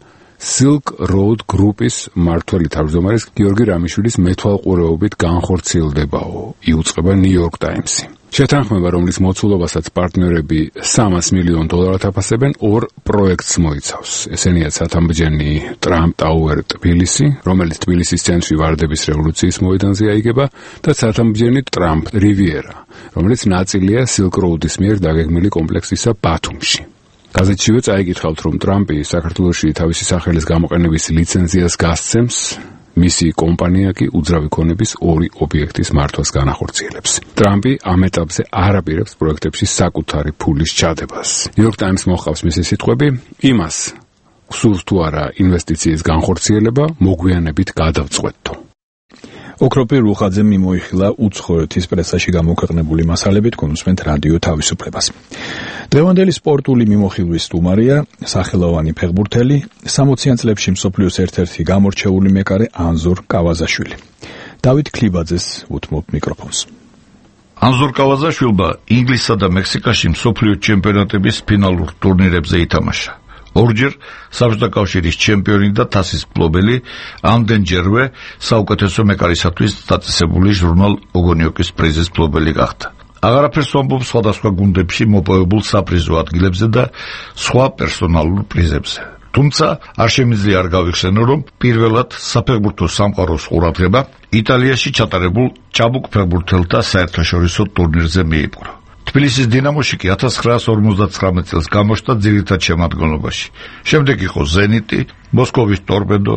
Silk Road Group-ის მმართველი თავმჯდომარის გიორგი რამიშვილის მეთვალყურეობით განხორციელდებაო, იუწყება New York Times-ი. შეთანხმება, რომლის მოცულობასაც პარტნიორები სამას მილიონ დოლარად აფასებენ, ორ პროექტს მოიცავს. ესენია ცათამბჯენი Trump Tower თბილისი, რომელიც თბილისის ცენტრი ვარდების რევოლუციის მოედანზე აიგება, და ცათამბჯენი Trump Riviera, რომელიც ნაწილია Silk Road-ის მიერ დაგეგმილი კომპლექსისა ბათუმში. გაზეთშივე წაიკითხავთ, რომ ტრამპი საქართველოში თავისი სახელის გამოყენების ლიცენზიას გასცემს, მისი კომპანია კი უძრავი ქონების ორი ობიექტის მართვას განახორციელებს. ტრამპი ამ ეტაპზე არ აპირებს პროექტებში საკუთარი ფულის ჩადებას. New York Times მოჰყავს მისი სიტყვები, იმას გსურს თუ არა ინვესტიციის განხორციელება, მოგვიანებით გადავწყვეტო. ოქროპირ რუხაძემ მიმოიხილა უცხოეთის პრესაში გამოქვეყნებული მასალებით გონუსმენთ რადიო თავისუფლებას. დღევანდელი სპორტული მიმოხილვის სტუმარია სახელოვანი ფეხბურთელი, სამოციან წლებში მსოფლიოს ერთ-ერთი გამორჩეული მეკარე ანზორ კავაზაშვილი. დავით ქლიბაძეს უთმობ მიკროფონს. ანზორ კავაზაშვილმა ინგლისსა და მექსიკაში მსოფლიო ჩემპიონატების ფინალურ ტურნირებზე ითამაშა. ორჯერ საბჭოთა კავშირის ჩემპიონი და თასის მფლობელი, ამდენჯერვე საუკეთესო მეკარისათვის დაწესებული ჟურნალ ოგონიოკის პრიზის მფლობელი გახდა. აღარაფერს ვამბობ სხვადასხვა გუნდებში მოპოვებულ საპრიზო ადგილებზე და სხვა პერსონალურ პრიზებზე. თუმცა არ შემიძლია არ გავიხსენო, რომ პირველად საფეხბურთო სამყაროს ყურადღება იტალიაში ჩატარებულ ჭაბუკ ფეხბურთელთა საერთაშორისო ტურნირზე მიიპყრო. თბილისის დინამოში კი ათას ცხრაას ორმოცდათხრამეტ წელს გამოჩნდა ძირითად შემადგენლობაში. შემდეგ იყო ზენიტი, მოსკოვის ტორპედო,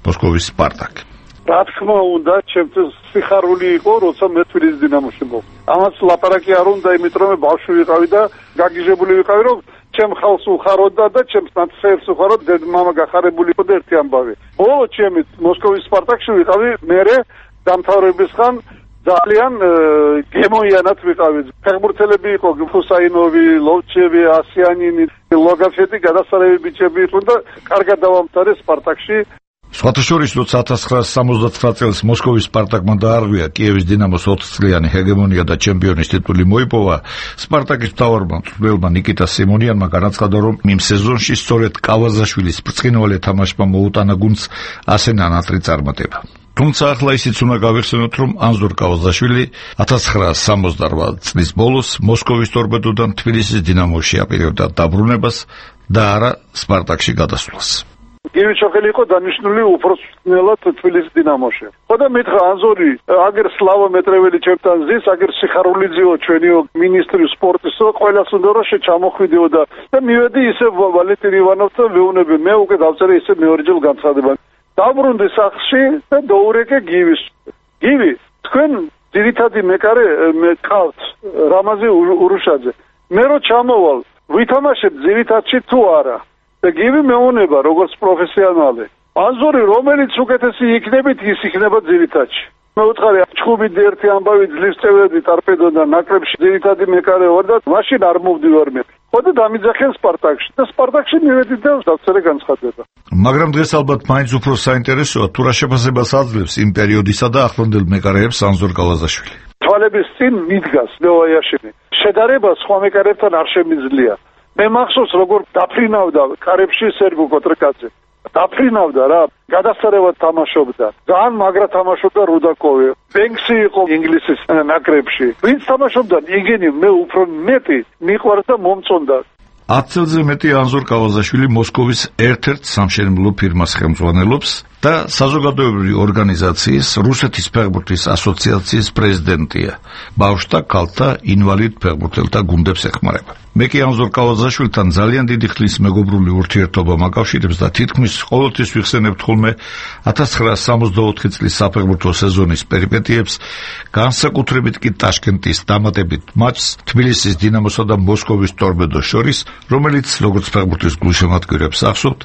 მოსკოვის სპარტაკი. რა თქმა უნდა, ჩემთვის სიხარული იყო, როცა მე თბილისის დინამოში მოვ. ამას ლაპარაკი არ უნდა, იმიტომ რომ ბავშვი ვიყავი და გაგიჟებული ვიყავი, რომ ჩემ ხალხს უხაროდა და ჩემს ნაცსეებს უხაროდ, დედმამა გახარებული იყო და ერთი ამბავი. ბოლო ჩემი მოსკოვის სპარტაკში ვიყავი, მერე დამთავრებისგან ძალიან გემოიანად ვიყავით. ფეხბურთელები იყო ფუსაინოვი, ლოვჩევი, ასიანინი, ლოგაფეთი, გადასარევი ბიჭები იყო და კარგად დავამთავრე სპარტაკში. სხვათა შორის, როცა ათას ცხრაასი სამოცდათვრამეტ წელს მოსკოვის სპარტაკმა დაარღვია კიევის დინამოს ოცწლიანი ჰეგემონია და ჩემპიონის ტიტული მოიპოვა, სპარტაკის მთავარმა მწვრთნელმა ნიკიტა სიმონიანმა განაცხადა, რომ იმ სეზონში სწორედ კავაზაშვილის ბრწყინვალე თამაშმა მოუტანა გუნდს ასე ნანატრი წარმატება. თუმცა ახლა ისიც უნდა გავიხსენოთ, რომ ანზორ კავაზაშვილი ათას ცხრაასი სამოცდაოთხ წლის ბოლოს მოსკოვის ტორპედოდან თბილისის დინამოში აპირებდა დაბრუნებას და არა სპარტაკში გადასვლას. გივი ჩოხელი იყო დანიშნული უფროსნელად თბილისის დინამოში. ხო და მითხრა ანზორი, აგერ სლავა მეტრეველი ჩემთან ზის, აგერ სიხარულიძეო ჩვენიო მინისტრი სპორტისო, ყველას უნდა რომ შეჩამოხვიდიო და და მივედი ისე ვალენტინ ივანოვთან ვეუნები, მე უკვე დავწერე ისე მეორეჯერ განცხადება. დაბრუნდი სახლში და დაურეკე გივის. გივი, თქვენ ძირითადი მეკარე მეკავთ რამაზი ურუშაძე. მე რო ჩამოვალ, ვითამაშებ ძირითადში თუ არა. და გივი მეუნება როგორც პროფესიონალი. ანზორი რომელიც უკეთესი იქნებით, ის იქნება ძირითადში. მე უთხარი ჩხუბით ერთი ამბავი ძლივს წევედი ტორპედოდან ნაკრებში ძირითადი მეკარე ვარ და მაშინ არ მოვდივარ მე. ხო და დამიძახენ სპარტაკში და სპარტაკში მივედი და დავწერე განცხადება. მაგრამ დღეს ალბათ მაინც უფრო საინტერესოა თუ რა შეფასებას აძლევს იმ პერიოდისა და ახლანდელ მეკარეებს ანზორ კავაზაშვილი. თვალების წინ მიდგას ლევაიაშინი. შედარება სხვა მეკარებთან არ შემიძლია. მე მახსოვს როგორ დაფრინავდა კარებში სერბო კოტრკაძე. დაფრინავდა რა, გადასარევად თამაშობდა. ძალიან მაგრა თამაშობდა რუდაკოვი. ბენქსი იყო ინგლისის ნაკრებში. ვინც თამაშობდა იგენი, მე უფრო მეტი მიყვარს და მომწონდა. ათ წელზე მეტი ანზორ კავაზაშვილი მოსკოვის ერთ-ერთ სამშენებლო ფირმას ხელმძღვანელობს და საზოგადოებრივი ორგანიზაციის რუსეთის ფეხბურთის ასოციაციის პრეზიდენტია. ბავშვთა, ქალთა, ინვალიდ ფეხბურთელთა გუნდებს ეხმარება. მე კი ანზორ კავაზაშვილთან ძალიან დიდი ხნის მეგობრული ურთიერთობა მაკავშირებს და თითქმის ყოველთვის ვიხსენებთ ხოლმე ათას ცხრაასი სამოცდაოთხ წლის საფეხბურთო სეზონის პერიპეტიებს, განსაკუთრებით კი ტაშკენტის დამატებით მატჩს თბილისის დინამოსა და მოსკოვის ტორპედოს შორის, რომელიც როგორც ფეხბურთის გულშემატკივრებს ახსოვთ,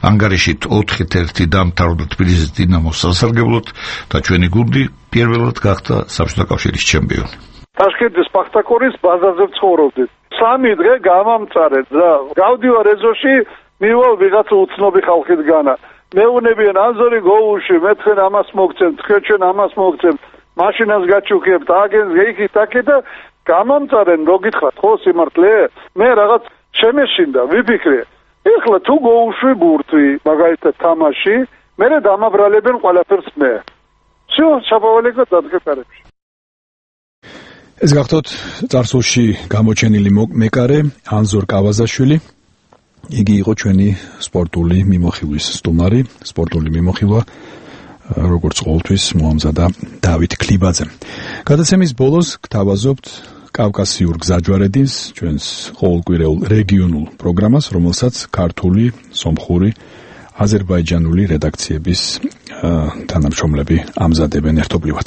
ანგარიშით ოთხი ერთი დამთავრდა თბილისის დინამოს სასარგებლოდ და ჩვენი გუნდი პირველად გახდა საბჭოთა კავშირის ჩემპიონი. ტაშკენტის სპარტაკორის ბაზაზე ვცხოვრობდით. სამი დღე გამამწარეთ და გავდივარ ეზოში, მივალ ვიღაცა უცნობი ხალხისგანა. მეუნებიან ანზორი გოუში, მე თქვენ ამას მოგცემთ, თქვენ ჩვენ ამას მოგცემთ, მაშინას გაჩუქებთ, აგენ გეიქით აქე და გამამწარენ, რო გითხრათ, ხო სიმართლე? მე რაღაც შემეშინდა, ვიფიქრე. ეხლა თუ გოუში ბურთვი, მაგალითად თამაში, მე დამაბრალებენ ყველაფერს მე. всё, ჩაბავალეკო დადგეთარებში. ეს გახდოთ წარსულში გამოჩენილი მეკარე ანზორ კავაზაშვილი. იგი იყო ჩვენი სპორტული მიმოხილვის სტუმარი, სპორტული მიმოხილვა როგორც ყოველთვის მოამზადა დავით ქლიბაძემ. გადაცემის ბოლოს გთავაზობთ კავკასიურ გზაჯვარედინს, ჩვენს ყოველკვირეულ რეგიონულ პროგრამას, რომელსაც ქართული, სომხური, აზერბაიჯანული რედაქციების თანამშრომლები ამზადებენ ერთობლივად.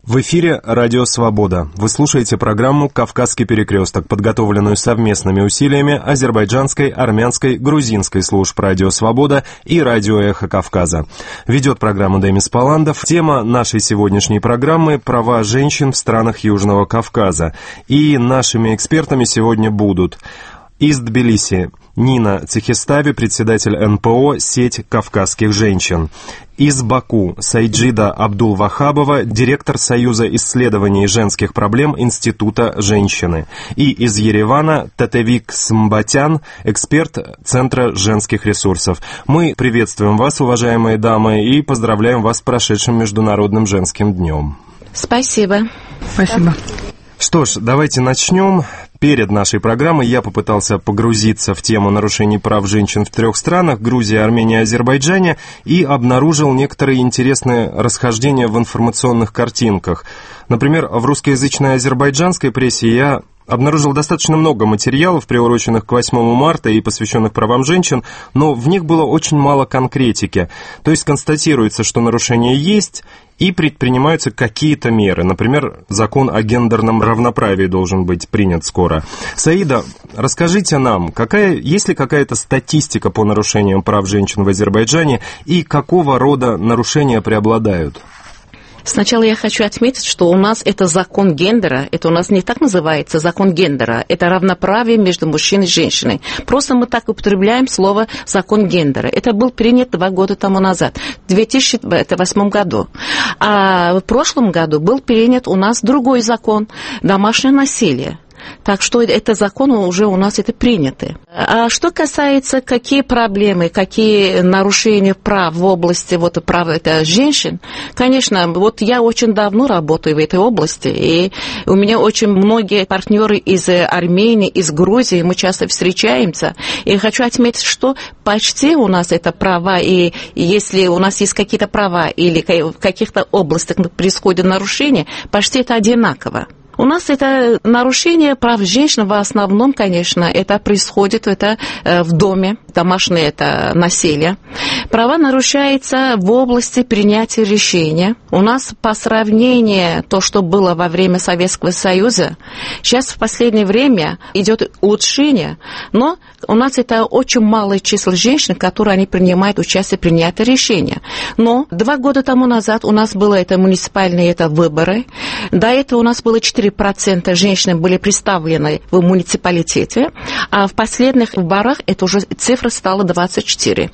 В эфире «Радио Свобода». Вы слушаете программу «Кавказский перекресток», подготовленную совместными усилиями азербайджанской, армянской, грузинской служб «Радио Свобода» и «Радио Эхо Кавказа». Ведет программу Демис Паландов. Тема нашей сегодняшней программы – права женщин в странах Южного Кавказа. И нашими экспертами сегодня будут из Тбилиси Нина Цехистави, председатель эн пэ о «Сеть кавказских женщин». Из Баку Сайджида Абдул-Вахабова, директор Союза исследований женских проблем Института женщины. И из Еревана Татевик Смбатян, эксперт Центра женских ресурсов. Мы приветствуем вас, уважаемые дамы, и поздравляем вас с прошедшим Международным женским днем. Спасибо. Спасибо. Что ж, давайте начнем. Перед нашей программой я попытался погрузиться в тему нарушений прав женщин в трех странах – Грузии, Армении и Азербайджане – и обнаружил некоторые интересные расхождения в информационных картинках. Например, в русскоязычной азербайджанской прессе я обнаружил достаточно много материалов, приуроченных к восьмому марта и посвященных правам женщин, но в них было очень мало конкретики. То есть констатируется, что нарушения есть, и предпринимаются какие-то меры. Например, закон о гендерном равноправии должен быть принят скоро. Саида, расскажите нам, какая, есть ли какая-то статистика по нарушениям прав женщин в Азербайджане и какого рода нарушения преобладают? Сначала я хочу отметить, что у нас это закон гендера, это у нас не так называется закон гендера, это равноправие между мужчиной и женщиной. Просто мы так употребляем слово закон гендера. Это был принят два года тому назад, в две тысячи восьмом году. А в прошлом году был принят у нас другой закон, домашнее насилие. Так что это закон уже у нас это приняты. А что касается, какие проблемы, какие нарушения прав в области вот, прав это женщин, конечно, вот я очень давно работаю в этой области, и у меня очень многие партнеры из Армении, из Грузии, мы часто встречаемся, и хочу отметить, что почти у нас это права, и если у нас есть какие-то права или в каких-то областях происходят нарушения, почти это одинаково. У нас это нарушение прав женщин в основном, конечно, это происходит это в доме, домашнее это насилие. Права нарушаются в области принятия решения. У нас по сравнению то, что было во время Советского Союза, сейчас в последнее время идет улучшение, но у нас это очень малое число женщин, которые они принимают участие в принятии решения. Но два года тому назад у нас было это муниципальные это выборы, до этого у нас было четыре процента женщин были представлены в муниципалитете, а в последних выборах это уже цифра стала двадцать четыре.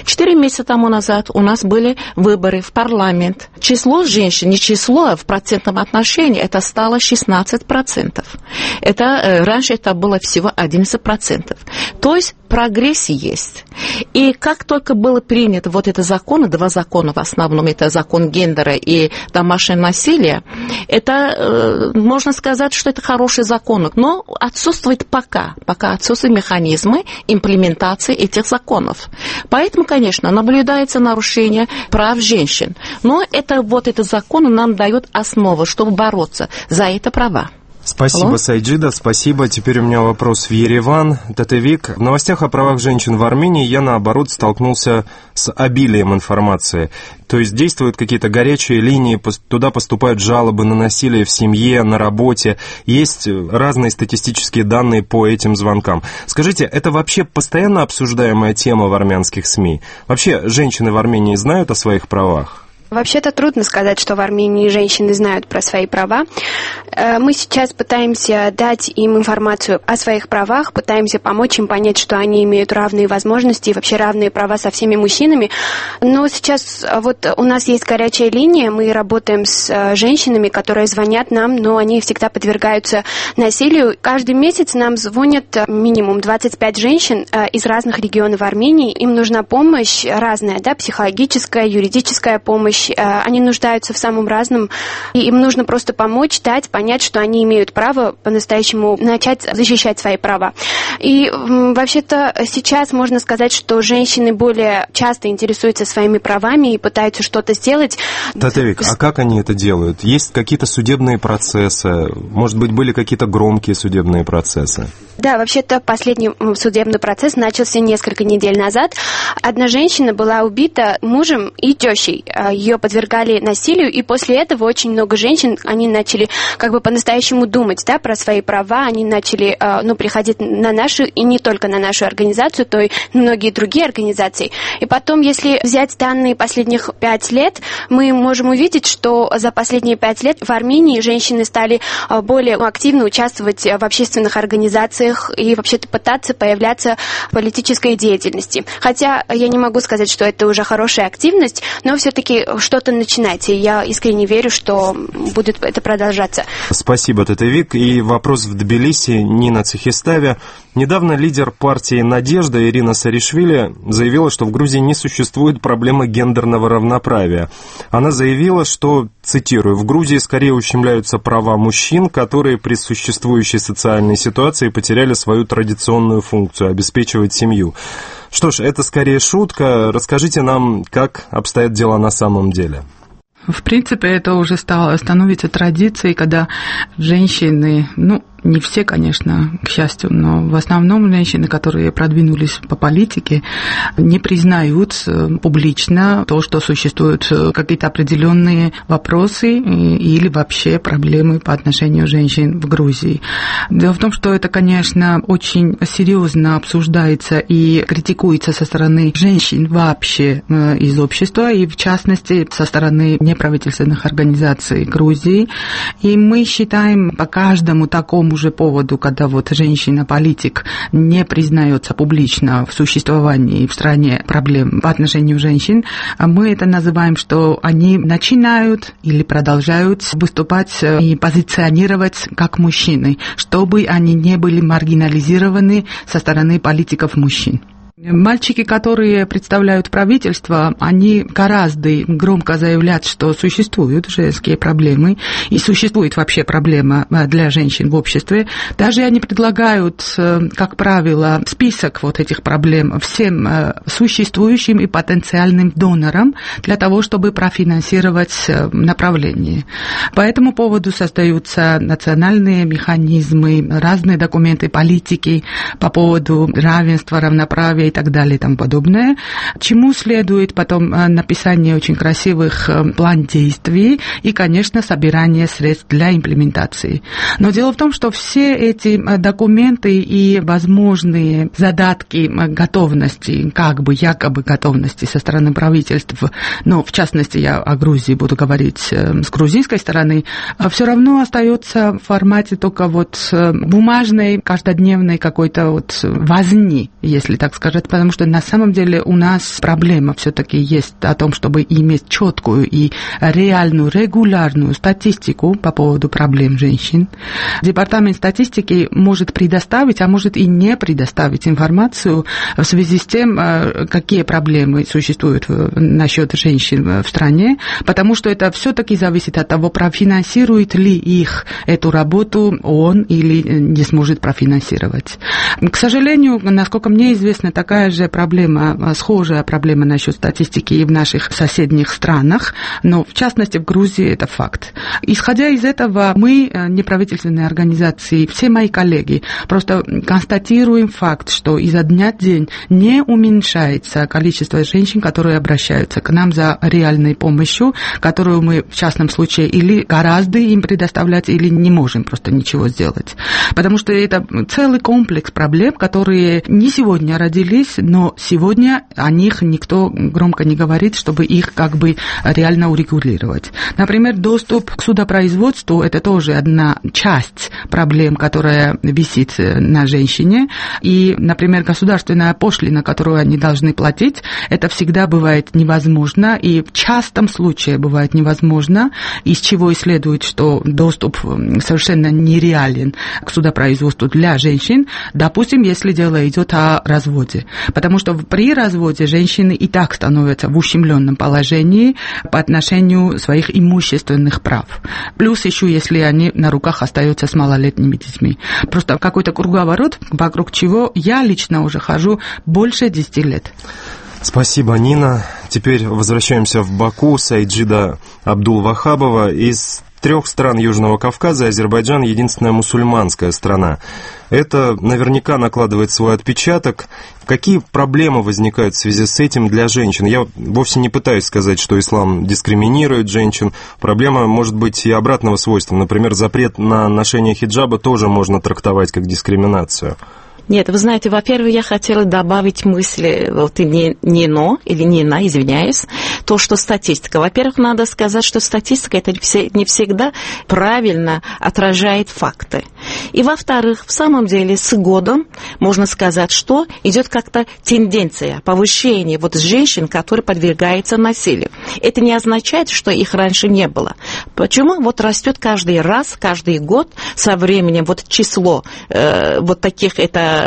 Четыре месяца тому назад у нас были выборы в парламент. Число женщин, не число, а в процентном отношении это стало шестнадцать процентов. Это, раньше это было всего одиннадцать процентов. То есть прогресс есть. И как только было принято вот это законы, два закона в основном, это закон гендера и домашнее насилие, это, можно сказать, что это хороший закон, но отсутствует пока, пока отсутствуют механизмы имплементации этих законов. Поэтому, конечно, наблюдается нарушение прав женщин. Но это вот этот закон нам дает основу, чтобы бороться за это права. Спасибо, Алло. Сайджида, спасибо. Теперь у меня вопрос в Ереван. Татевик, в новостях о правах женщин в Армении я, наоборот, столкнулся с обилием информации. То есть действуют какие-то горячие линии, туда поступают жалобы на насилие в семье, на работе. Есть разные статистические данные по этим звонкам. Скажите, это вообще постоянно обсуждаемая тема в армянских СМИ? Вообще, женщины в Армении знают о своих правах? Вообще-то трудно сказать, что в Армении женщины знают про свои права. Мы сейчас пытаемся дать им информацию о своих правах, пытаемся помочь им понять, что они имеют равные возможности и вообще равные права со всеми мужчинами. Но сейчас вот у нас есть горячая линия, мы работаем с женщинами, которые звонят нам, но они всегда подвергаются насилию. Каждый месяц нам звонят минимум двадцать пять женщин из разных регионов Армении. Им нужна помощь разная, да, психологическая, юридическая помощь. Они нуждаются в самом разном, и им нужно просто помочь, дать, понять, что они имеют право по-настоящему начать защищать свои права. И вообще-то сейчас можно сказать, что женщины более часто интересуются своими правами и пытаются что-то сделать. Татевик, а как они это делают? Есть какие-то судебные процессы? Может быть, были какие-то громкие судебные процессы? Да, вообще-то последний судебный процесс начался несколько недель назад. Одна женщина была убита мужем и тещей. Ее подвергали насилию, и после этого очень много женщин, они начали как бы по-настоящему думать, да, про свои права, они начали, ну, приходить на нашу, и не только на нашу организацию, то и многие другие организации. И потом, если взять данные последних пять лет, мы можем увидеть, что за последние пять лет в Армении женщины стали более активно участвовать в общественных организациях и вообще-то пытаться появляться в политической деятельности. Хотя я не могу сказать, что это уже хорошая активность, но все-таки что-то начинать, и я искренне верю, что будет это продолжаться. Спасибо, Татевик. И вопрос в Тбилиси, Нина Цехиставя. Недавно лидер партии «Надежда» Ирина Саришвили заявила, что в Грузии не существует проблемы гендерного равноправия. Она заявила, что, цитирую, «в Грузии скорее ущемляются права мужчин, которые при существующей социальной ситуации потеряли свою традиционную функцию – обеспечивать семью». Что ж, это скорее шутка. Расскажите нам, как обстоят дела на самом деле. В принципе, это уже стало, становится традицией, когда женщины, ну, Не все, конечно, к счастью, но в основном женщины, которые продвинулись по политике, не признают публично то, что существуют какие-то определенные вопросы или вообще проблемы по отношению женщин в Грузии. Дело в том, что это, конечно, очень серьезно обсуждается и критикуется со стороны женщин вообще из общества, и в частности со стороны неправительственных организаций Грузии. И мы считаем по каждому такому же поводу, когда вот женщина-политик не признается публично в существовании в стране проблем по отношению женщин, мы это называем, что они начинают или продолжают выступать и позиционировать как мужчины, чтобы они не были маргинализированы со стороны политиков-мужчин. Мальчики, которые представляют правительство, они гораздо громко заявляют, что существуют женские проблемы и существует вообще проблема для женщин в обществе. Даже они предлагают, как правило, список вот этих проблем всем существующим и потенциальным донорам для того, чтобы профинансировать направление. По этому поводу создаются национальные механизмы, разные документы политики по поводу равенства, равноправия и так далее и тому подобное, чему следует потом написание очень красивых план действий и, конечно, собирание средств для имплементации. Но дело в том, что все эти документы и возможные задатки готовности, как бы якобы готовности со стороны правительств, но в частности я о Грузии буду говорить с грузинской стороны, все равно остается в формате только вот бумажной, каждодневной какой-то вот возни, если так сказать, потому что на самом деле у нас проблема все-таки есть о том, чтобы иметь четкую и реальную, регулярную статистику по поводу проблем женщин. Департамент статистики может предоставить, а может и не предоставить информацию в связи с тем, какие проблемы существуют насчет женщин в стране, потому что это все-таки зависит от того, профинансирует ли их эту работу он или не сможет профинансировать. К сожалению, насколько мне известно, такая же проблема, схожая проблема насчет статистики и в наших соседних странах, но в частности в Грузии это факт. Исходя из этого, мы, неправительственные организации, все мои коллеги, просто констатируем факт, что изо дня в день не уменьшается количество женщин, которые обращаются к нам за реальной помощью, которую мы в частном случае или гораздо им предоставлять, или не можем просто ничего сделать. Потому что это целый комплекс проблем, которые не сегодня родились, но сегодня о них никто громко не говорит, чтобы их как бы реально урегулировать. Например, доступ к судопроизводству – это тоже одна часть проблем, которая висит на женщине. И, например, государственная пошлина, которую они должны платить, это всегда бывает невозможно, и в частом случае бывает невозможно, из чего и следует, что доступ совершенно нереален к судопроизводству для женщин, допустим, если дело идет о разводе. Потому что при разводе женщины и так становятся в ущемленном положении по отношению своих имущественных прав. Плюс еще, если они на руках остаются с малолетними детьми. Просто какой-то круговорот, вокруг чего я лично уже хожу больше десяти лет. Спасибо, Нина. Теперь возвращаемся в Баку. Сайджида Абдул-Вахабова. Из трех стран Южного Кавказа Азербайджан — единственная мусульманская страна. Это наверняка накладывает свой отпечаток. Какие проблемы возникают в связи с этим для женщин? Я вовсе не пытаюсь сказать, что ислам дискриминирует женщин. Проблема может быть и обратного свойства. Например, запрет на ношение хиджаба тоже можно трактовать как дискриминацию. Нет, вы знаете, во-первых, я хотела добавить мысли, вот не, не но, или не на, извиняюсь, то, что статистика. Во-первых, надо сказать, что статистика это не всегда правильно отражает факты. И, во-вторых, в самом деле, с годом можно сказать, что идет как-то тенденция повышения вот женщин, которые подвергаются насилию. Это не означает, что их раньше не было. Почему? Вот растет каждый раз, каждый год со временем вот число э, вот таких это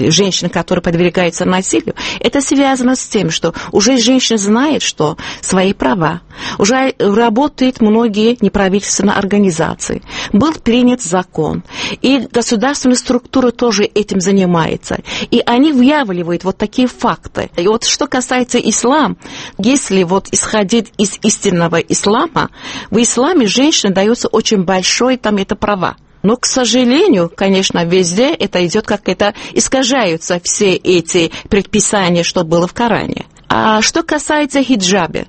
женщин, которые подвергаются насилию, это связано с тем, что уже женщина знает, что свои права, уже работают многие неправительственные организации, был принят закон, и государственные структуры тоже этим занимаются, и они выявляют вот такие факты. И вот что касается ислама, если вот исходить из истинного ислама, в исламе женщине дается очень большое там это права. Но, к сожалению, конечно, везде это идет как это искажаются все эти предписания, что было в Коране. А что касается хиджаба,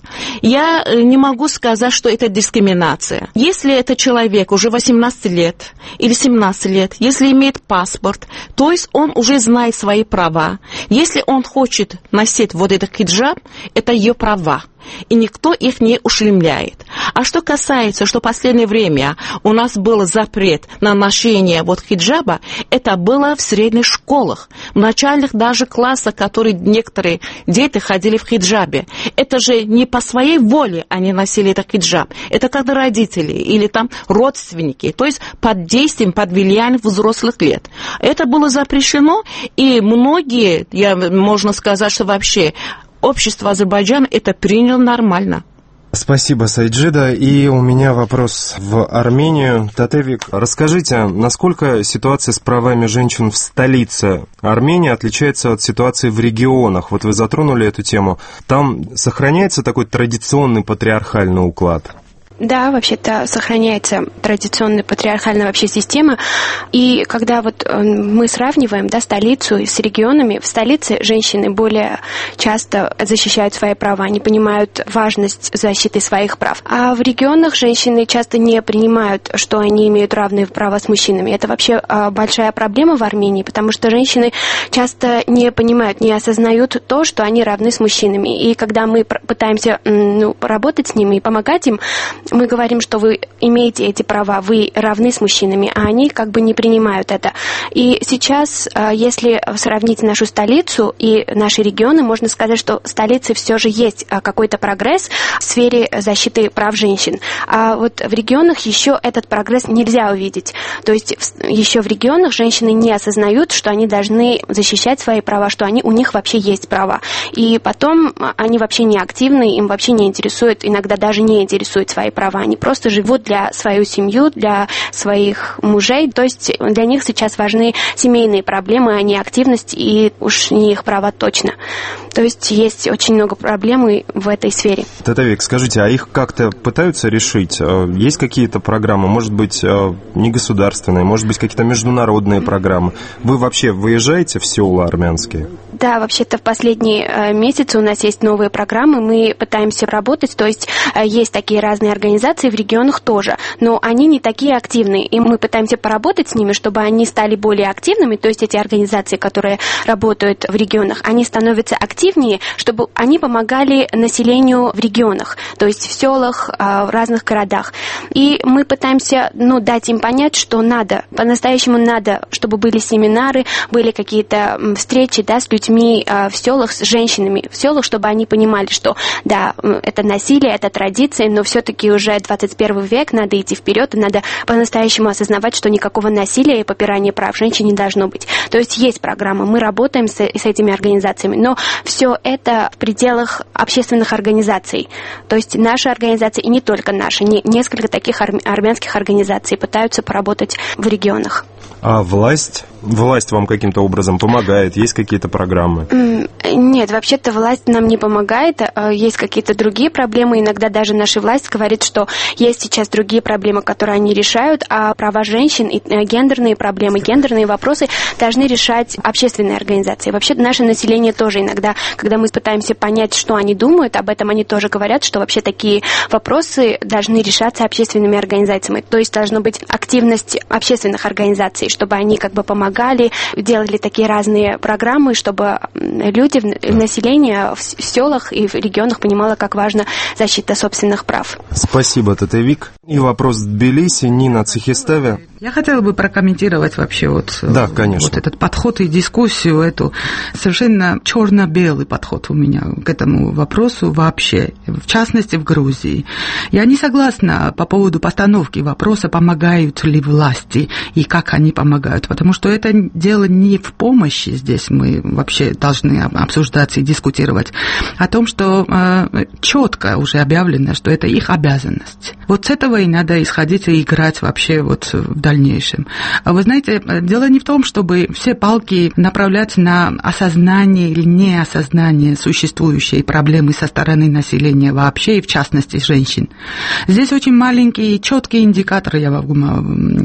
я не могу сказать, что это дискриминация. Если это человек уже восемнадцать лет или семнадцать лет, если имеет паспорт, то есть он уже знает свои права. Если он хочет носить вот этот хиджаб, это ее права. И никто их не ущемляет. А что касается, что в последнее время у нас был запрет на ношение вот хиджаба, это было в средних школах, в начальных даже классах, которые некоторые дети ходили в хиджабе. Это же не по своей воле они носили этот хиджаб. Это когда родители или там родственники, то есть под действием, под влиянием взрослых лет. Это было запрещено, и многие, я, можно сказать, что вообще общество Азербайджана это приняло нормально. Спасибо, Сайджида. И у меня вопрос в Армению. Татевик, расскажите, насколько ситуация с правами женщин в столице Армении отличается от ситуации в регионах? Вот вы затронули эту тему. Там сохраняется такой традиционный патриархальный уклад? Да, вообще-то сохраняется традиционная патриархальная вообще система. И когда вот мы сравниваем, да, столицу с регионами, в столице женщины более часто защищают свои права, они понимают важность защиты своих прав. А в регионах женщины часто не принимают, что они имеют равные права с мужчинами. Это вообще большая проблема в Армении, потому что женщины часто не понимают, не осознают то, что они равны с мужчинами. И когда мы пытаемся, ну, работать с ними и помогать им, мы говорим, что вы имеете эти права, вы равны с мужчинами, а они как бы не принимают это. И сейчас, если сравнить нашу столицу и наши регионы, можно сказать, что в столице все же есть какой-то прогресс в сфере защиты прав женщин. А вот в регионах еще этот прогресс нельзя увидеть. То есть еще в регионах женщины не осознают, что они должны защищать свои права, что они, у них вообще есть права. И потом они вообще не активны, им вообще не интересует, иногда даже не интересуют свои права. Они просто живут для свою семью, для своих мужей. То есть для них сейчас важны семейные проблемы, а не активность, и уж не их права точно. То есть есть очень много проблем в этой сфере. Татевик, скажите, а их как-то пытаются решить? Есть какие-то программы, может быть, не государственные, может быть, какие-то международные программы? Вы вообще выезжаете в села армянские? Да, вообще-то в последние месяцы у нас есть новые программы, мы пытаемся работать, то есть есть такие разные организации в регионах тоже, но они не такие активные, и мы пытаемся поработать с ними, чтобы они стали более активными, то есть эти организации, которые работают в регионах, они становятся активнее, чтобы они помогали населению в регионах, то есть в селах, в разных городах. И мы пытаемся, ну, дать им понять, что надо, по-настоящему надо, чтобы были семинары, были какие-то встречи, да, с людьми в селах, с женщинами в селах, чтобы они понимали, что да, это насилие, это традиция, но все-таки уже двадцать первый век, надо идти вперед, и надо по-настоящему осознавать, что никакого насилия и попирания прав женщин не должно быть. То есть есть программа, мы работаем с, с этими организациями, но все это в пределах общественных организаций. То есть наши организации, и не только наши, не, несколько таких ар, армянских организаций пытаются поработать в регионах. А власть? Власть вам каким-то образом помогает? Есть какие-то программы? Нет, вообще-то власть нам не помогает. Есть какие-то другие проблемы. Иногда даже наша власть говорит, что есть сейчас другие проблемы, которые они решают, а права женщин и гендерные проблемы, гендерные вопросы должны решать общественные организации. Вообще наше население тоже иногда, когда мы пытаемся понять, что они думают, об этом они тоже говорят, что вообще такие вопросы должны решаться общественными организациями. То есть должна быть активность общественных организаций, чтобы они как бы помогали, делали такие разные программы, чтобы люди, население в селах и в регионах понимало, как важна защита собственных прав. Спасибо, Татевик. И вопрос в Тбилиси, Нина Цехистеве. Я хотела бы прокомментировать вообще вот, да, конечно. вот этот подход и дискуссию, эту совершенно черно-белый подход у меня к этому вопросу вообще, в частности в Грузии. Я не согласна по поводу постановки вопроса, помогают ли власти и как они помогают, потому что это дело не в помощи, здесь мы вообще должны обсуждать и дискутировать, о том, что э, четко уже объявлено, что это их обязанность. Вот с этого и надо исходить и играть вообще вот в дальнейшем. Вы знаете, дело не в том, чтобы все палки направлять на осознание или неосознание существующей проблемы со стороны населения вообще, и в частности женщин. Здесь очень маленькие, четкие индикаторы я могу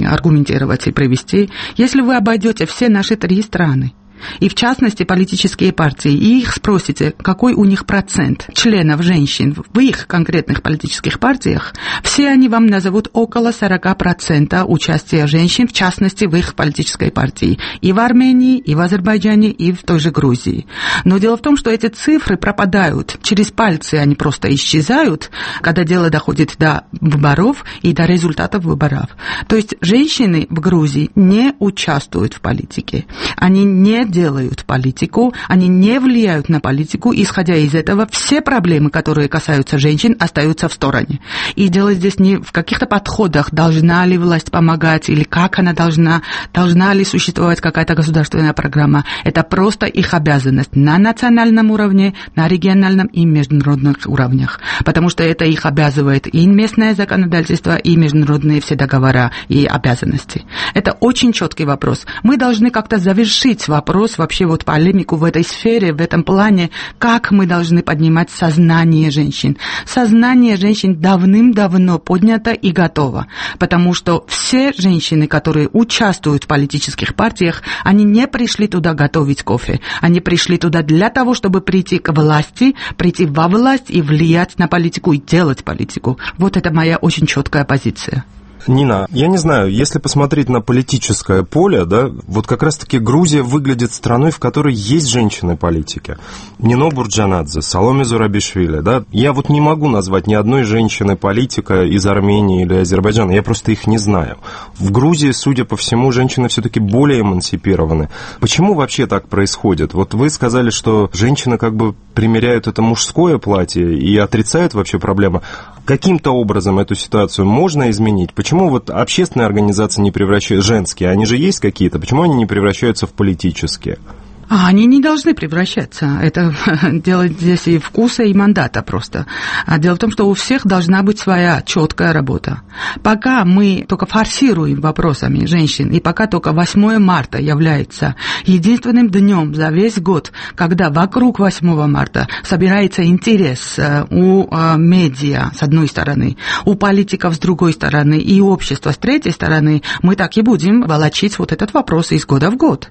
аргументировать и привести. Если вы обойдете все наши три страны, и в частности политические партии, и их спросите, какой у них процент членов женщин в их конкретных политических партиях, все они вам назовут около сорок процентов участия женщин, в частности в их политической партии, и в Армении, и в Азербайджане, и в той же Грузии. Но дело в том, что эти цифры пропадают, через пальцы они просто исчезают, когда дело доходит до выборов и до результатов выборов. То есть женщины в Грузии не участвуют в политике, они не делают политику, они не влияют на политику, исходя из этого все проблемы, которые касаются женщин, остаются в стороне. И дело здесь не в каких-то подходах, должна ли власть помогать, или как она должна, должна ли существовать какая-то государственная программа. Это просто их обязанность на национальном уровне, на региональном и международных уровнях. Потому что это их обязывает и местное законодательство, и международные все договора и обязанности. Это очень четкий вопрос. Мы должны как-то завершить вопрос, вообще вот полемику в этой сфере, в этом плане, как мы должны поднимать сознание женщин. Сознание женщин давным-давно поднято и готово, потому что все женщины, которые участвуют в политических партиях, они не пришли туда готовить кофе, они пришли туда для того, чтобы прийти к власти, прийти во власть и влиять на политику и делать политику. Вот это моя очень четкая позиция. Нина, я не знаю, если посмотреть на политическое поле, да, вот как раз-таки Грузия выглядит страной, в которой есть женщины-политики. Нино Бурджанадзе, Саломе Зурабишвили, да. Я вот не могу назвать ни одной женщины-политика из Армении или Азербайджана, я просто их не знаю. В Грузии, судя по всему, женщины все-таки более эмансипированы. Почему вообще так происходит? Вот вы сказали, что женщины как бы примеряют это мужское платье и отрицают вообще проблему. Каким-то образом эту ситуацию можно изменить? Почему вот общественные организации не превращаются, женские, они же есть какие-то, почему они не превращаются в политические? А они не должны превращаться. Это дело здесь и вкуса, и мандата просто. А дело в том, что у всех должна быть своя четкая работа. Пока мы только форсируем вопросами женщин, и пока только восьмое марта является единственным днем за весь год, когда вокруг восьмого марта собирается интерес у медиа с одной стороны, у политиков с другой стороны и общества с третьей стороны, мы так и будем волочить вот этот вопрос из года в год.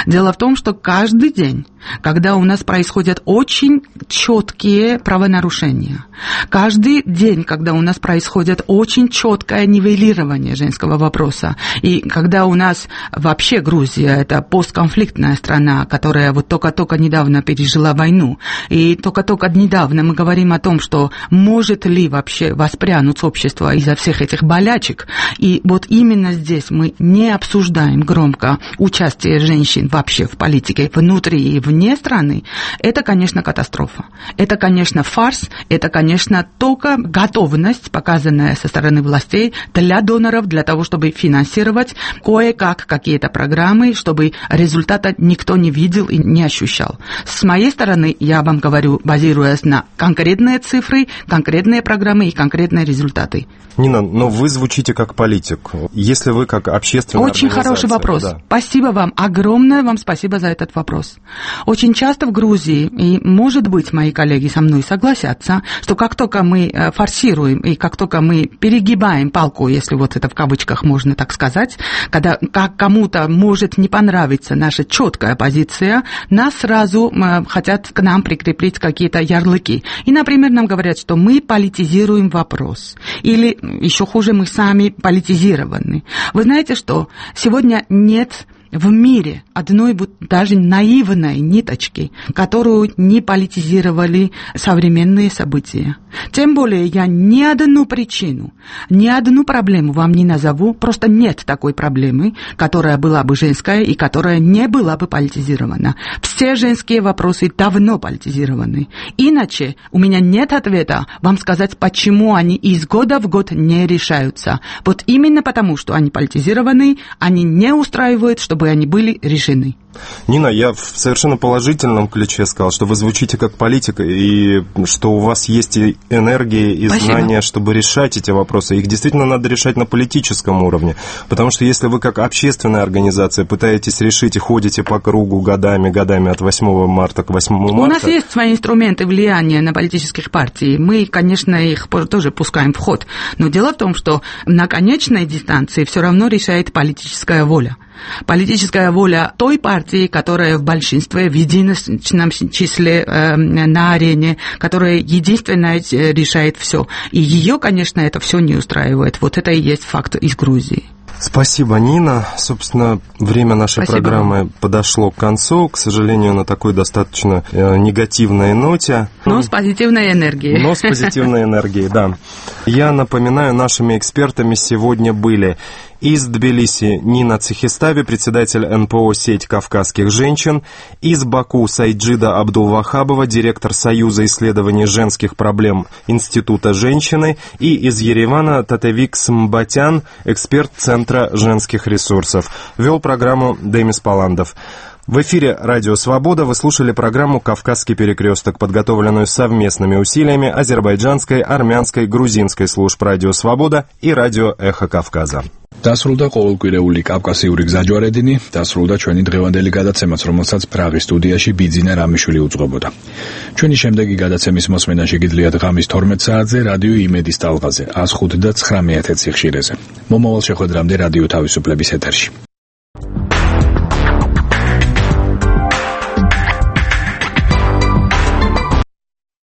Дело в том, что каждый день, когда у нас происходят очень четкие правонарушения, каждый день, когда у нас происходит очень четкое нивелирование женского вопроса, и когда у нас вообще Грузия – это постконфликтная страна, которая вот только-только недавно пережила войну, и только-только недавно мы говорим о том, что может ли вообще воспрянуть общество из-за всех этих болячек, и вот именно здесь мы не обсуждаем громко участие женщин вообще в политике, внутри и вне страны, это, конечно, катастрофа. Это, конечно, фарс, это, конечно, только готовность, показанная со стороны властей для доноров, для того, чтобы финансировать кое-как какие-то программы, чтобы результата никто не видел и не ощущал. С моей стороны, я вам говорю, базируясь на конкретные цифры, конкретные программы и конкретные результаты. Нина, но вы звучите как политик. Если вы как общественная Очень хороший вопрос. Да. Спасибо вам. Огромное вам спасибо за этот вопрос. Очень часто в Грузии, и, может быть, мои коллеги со мной согласятся, что как только мы форсируем и как только мы перегибаем палку, если вот это в кавычках можно так сказать, когда как кому-то может не понравиться наша четкая позиция, нас сразу хотят к нам прикрепить какие-то ярлыки. И, например, нам говорят, что мы политизируем вопрос. Или еще хуже, мы сами политизированы. Вы знаете что? Сегодня нет в мире одной даже наивной ниточки, которую не политизировали современные события. Тем более я ни одну причину, ни одну проблему вам не назову, просто нет такой проблемы, которая была бы женская и которая не была бы политизирована. Все женские вопросы давно политизированы. Иначе у меня нет ответа вам сказать, почему они из года в год не решаются. Вот именно потому, что они политизированы, они не устраивают, чтобы чтобы они были решены. Нина, я в совершенно положительном ключе сказал, что вы звучите как политик, и что у вас есть и энергия, и Спасибо. знания, чтобы решать эти вопросы. Их действительно надо решать на политическом уровне. Потому что если вы как общественная организация пытаетесь решить и ходите по кругу годами, годами от восьмого марта к восьмому марта... У нас есть свои инструменты влияния на политических партий. Мы, конечно, их тоже пускаем в ход. Но дело в том, что на конечной дистанции все равно решает политическая воля. Политическая воля той партии, которая в большинстве, в единственном числе э, на арене, которая единственная решает все. И ее, конечно, это все не устраивает. Вот это и есть факт из Грузии. Спасибо, Нина. Собственно, время нашей Спасибо программы вам. подошло к концу. К сожалению, на такой достаточно э, негативной ноте. Но с позитивной энергией. Но с позитивной энергией, да. Я напоминаю, нашими экспертами сегодня были из Тбилиси Нина Цехистави, председатель эн пэ о «Сеть кавказских женщин», из Баку Сайджида Абдулвахабова, директор Союза исследований женских проблем Института женщины, и из Еревана Татевик Смбатян, эксперт Центра женских ресурсов. Вел программу Демис Паландов. В эфире «Радио Свобода» вы слушали программу «Кавказский перекресток», подготовленную совместными усилиями азербайджанской, армянской, грузинской служб «Радио Свобода» и «Радио Эхо Кавказа». დასრულდა ყოველკვირეული კავკასიური გზაჯვარედინი, დასრულდა ჩვენი დღევანდელი გადაცემაც, რომელსაც პრაღის სტუდიაში ბიძინა რამიშვილი უძღვებოდა. ჩვენი შემდეგი გადაცემის მოსმენა შეგიძლიათ ღამის თორმეტ საათზე რადიო იმედის ტალღაზე, ას ხუთი და ცხრამეტ სიხშირეზე. მომავალ შეხვედრამდე რადიო თავისუფლების ეთერში.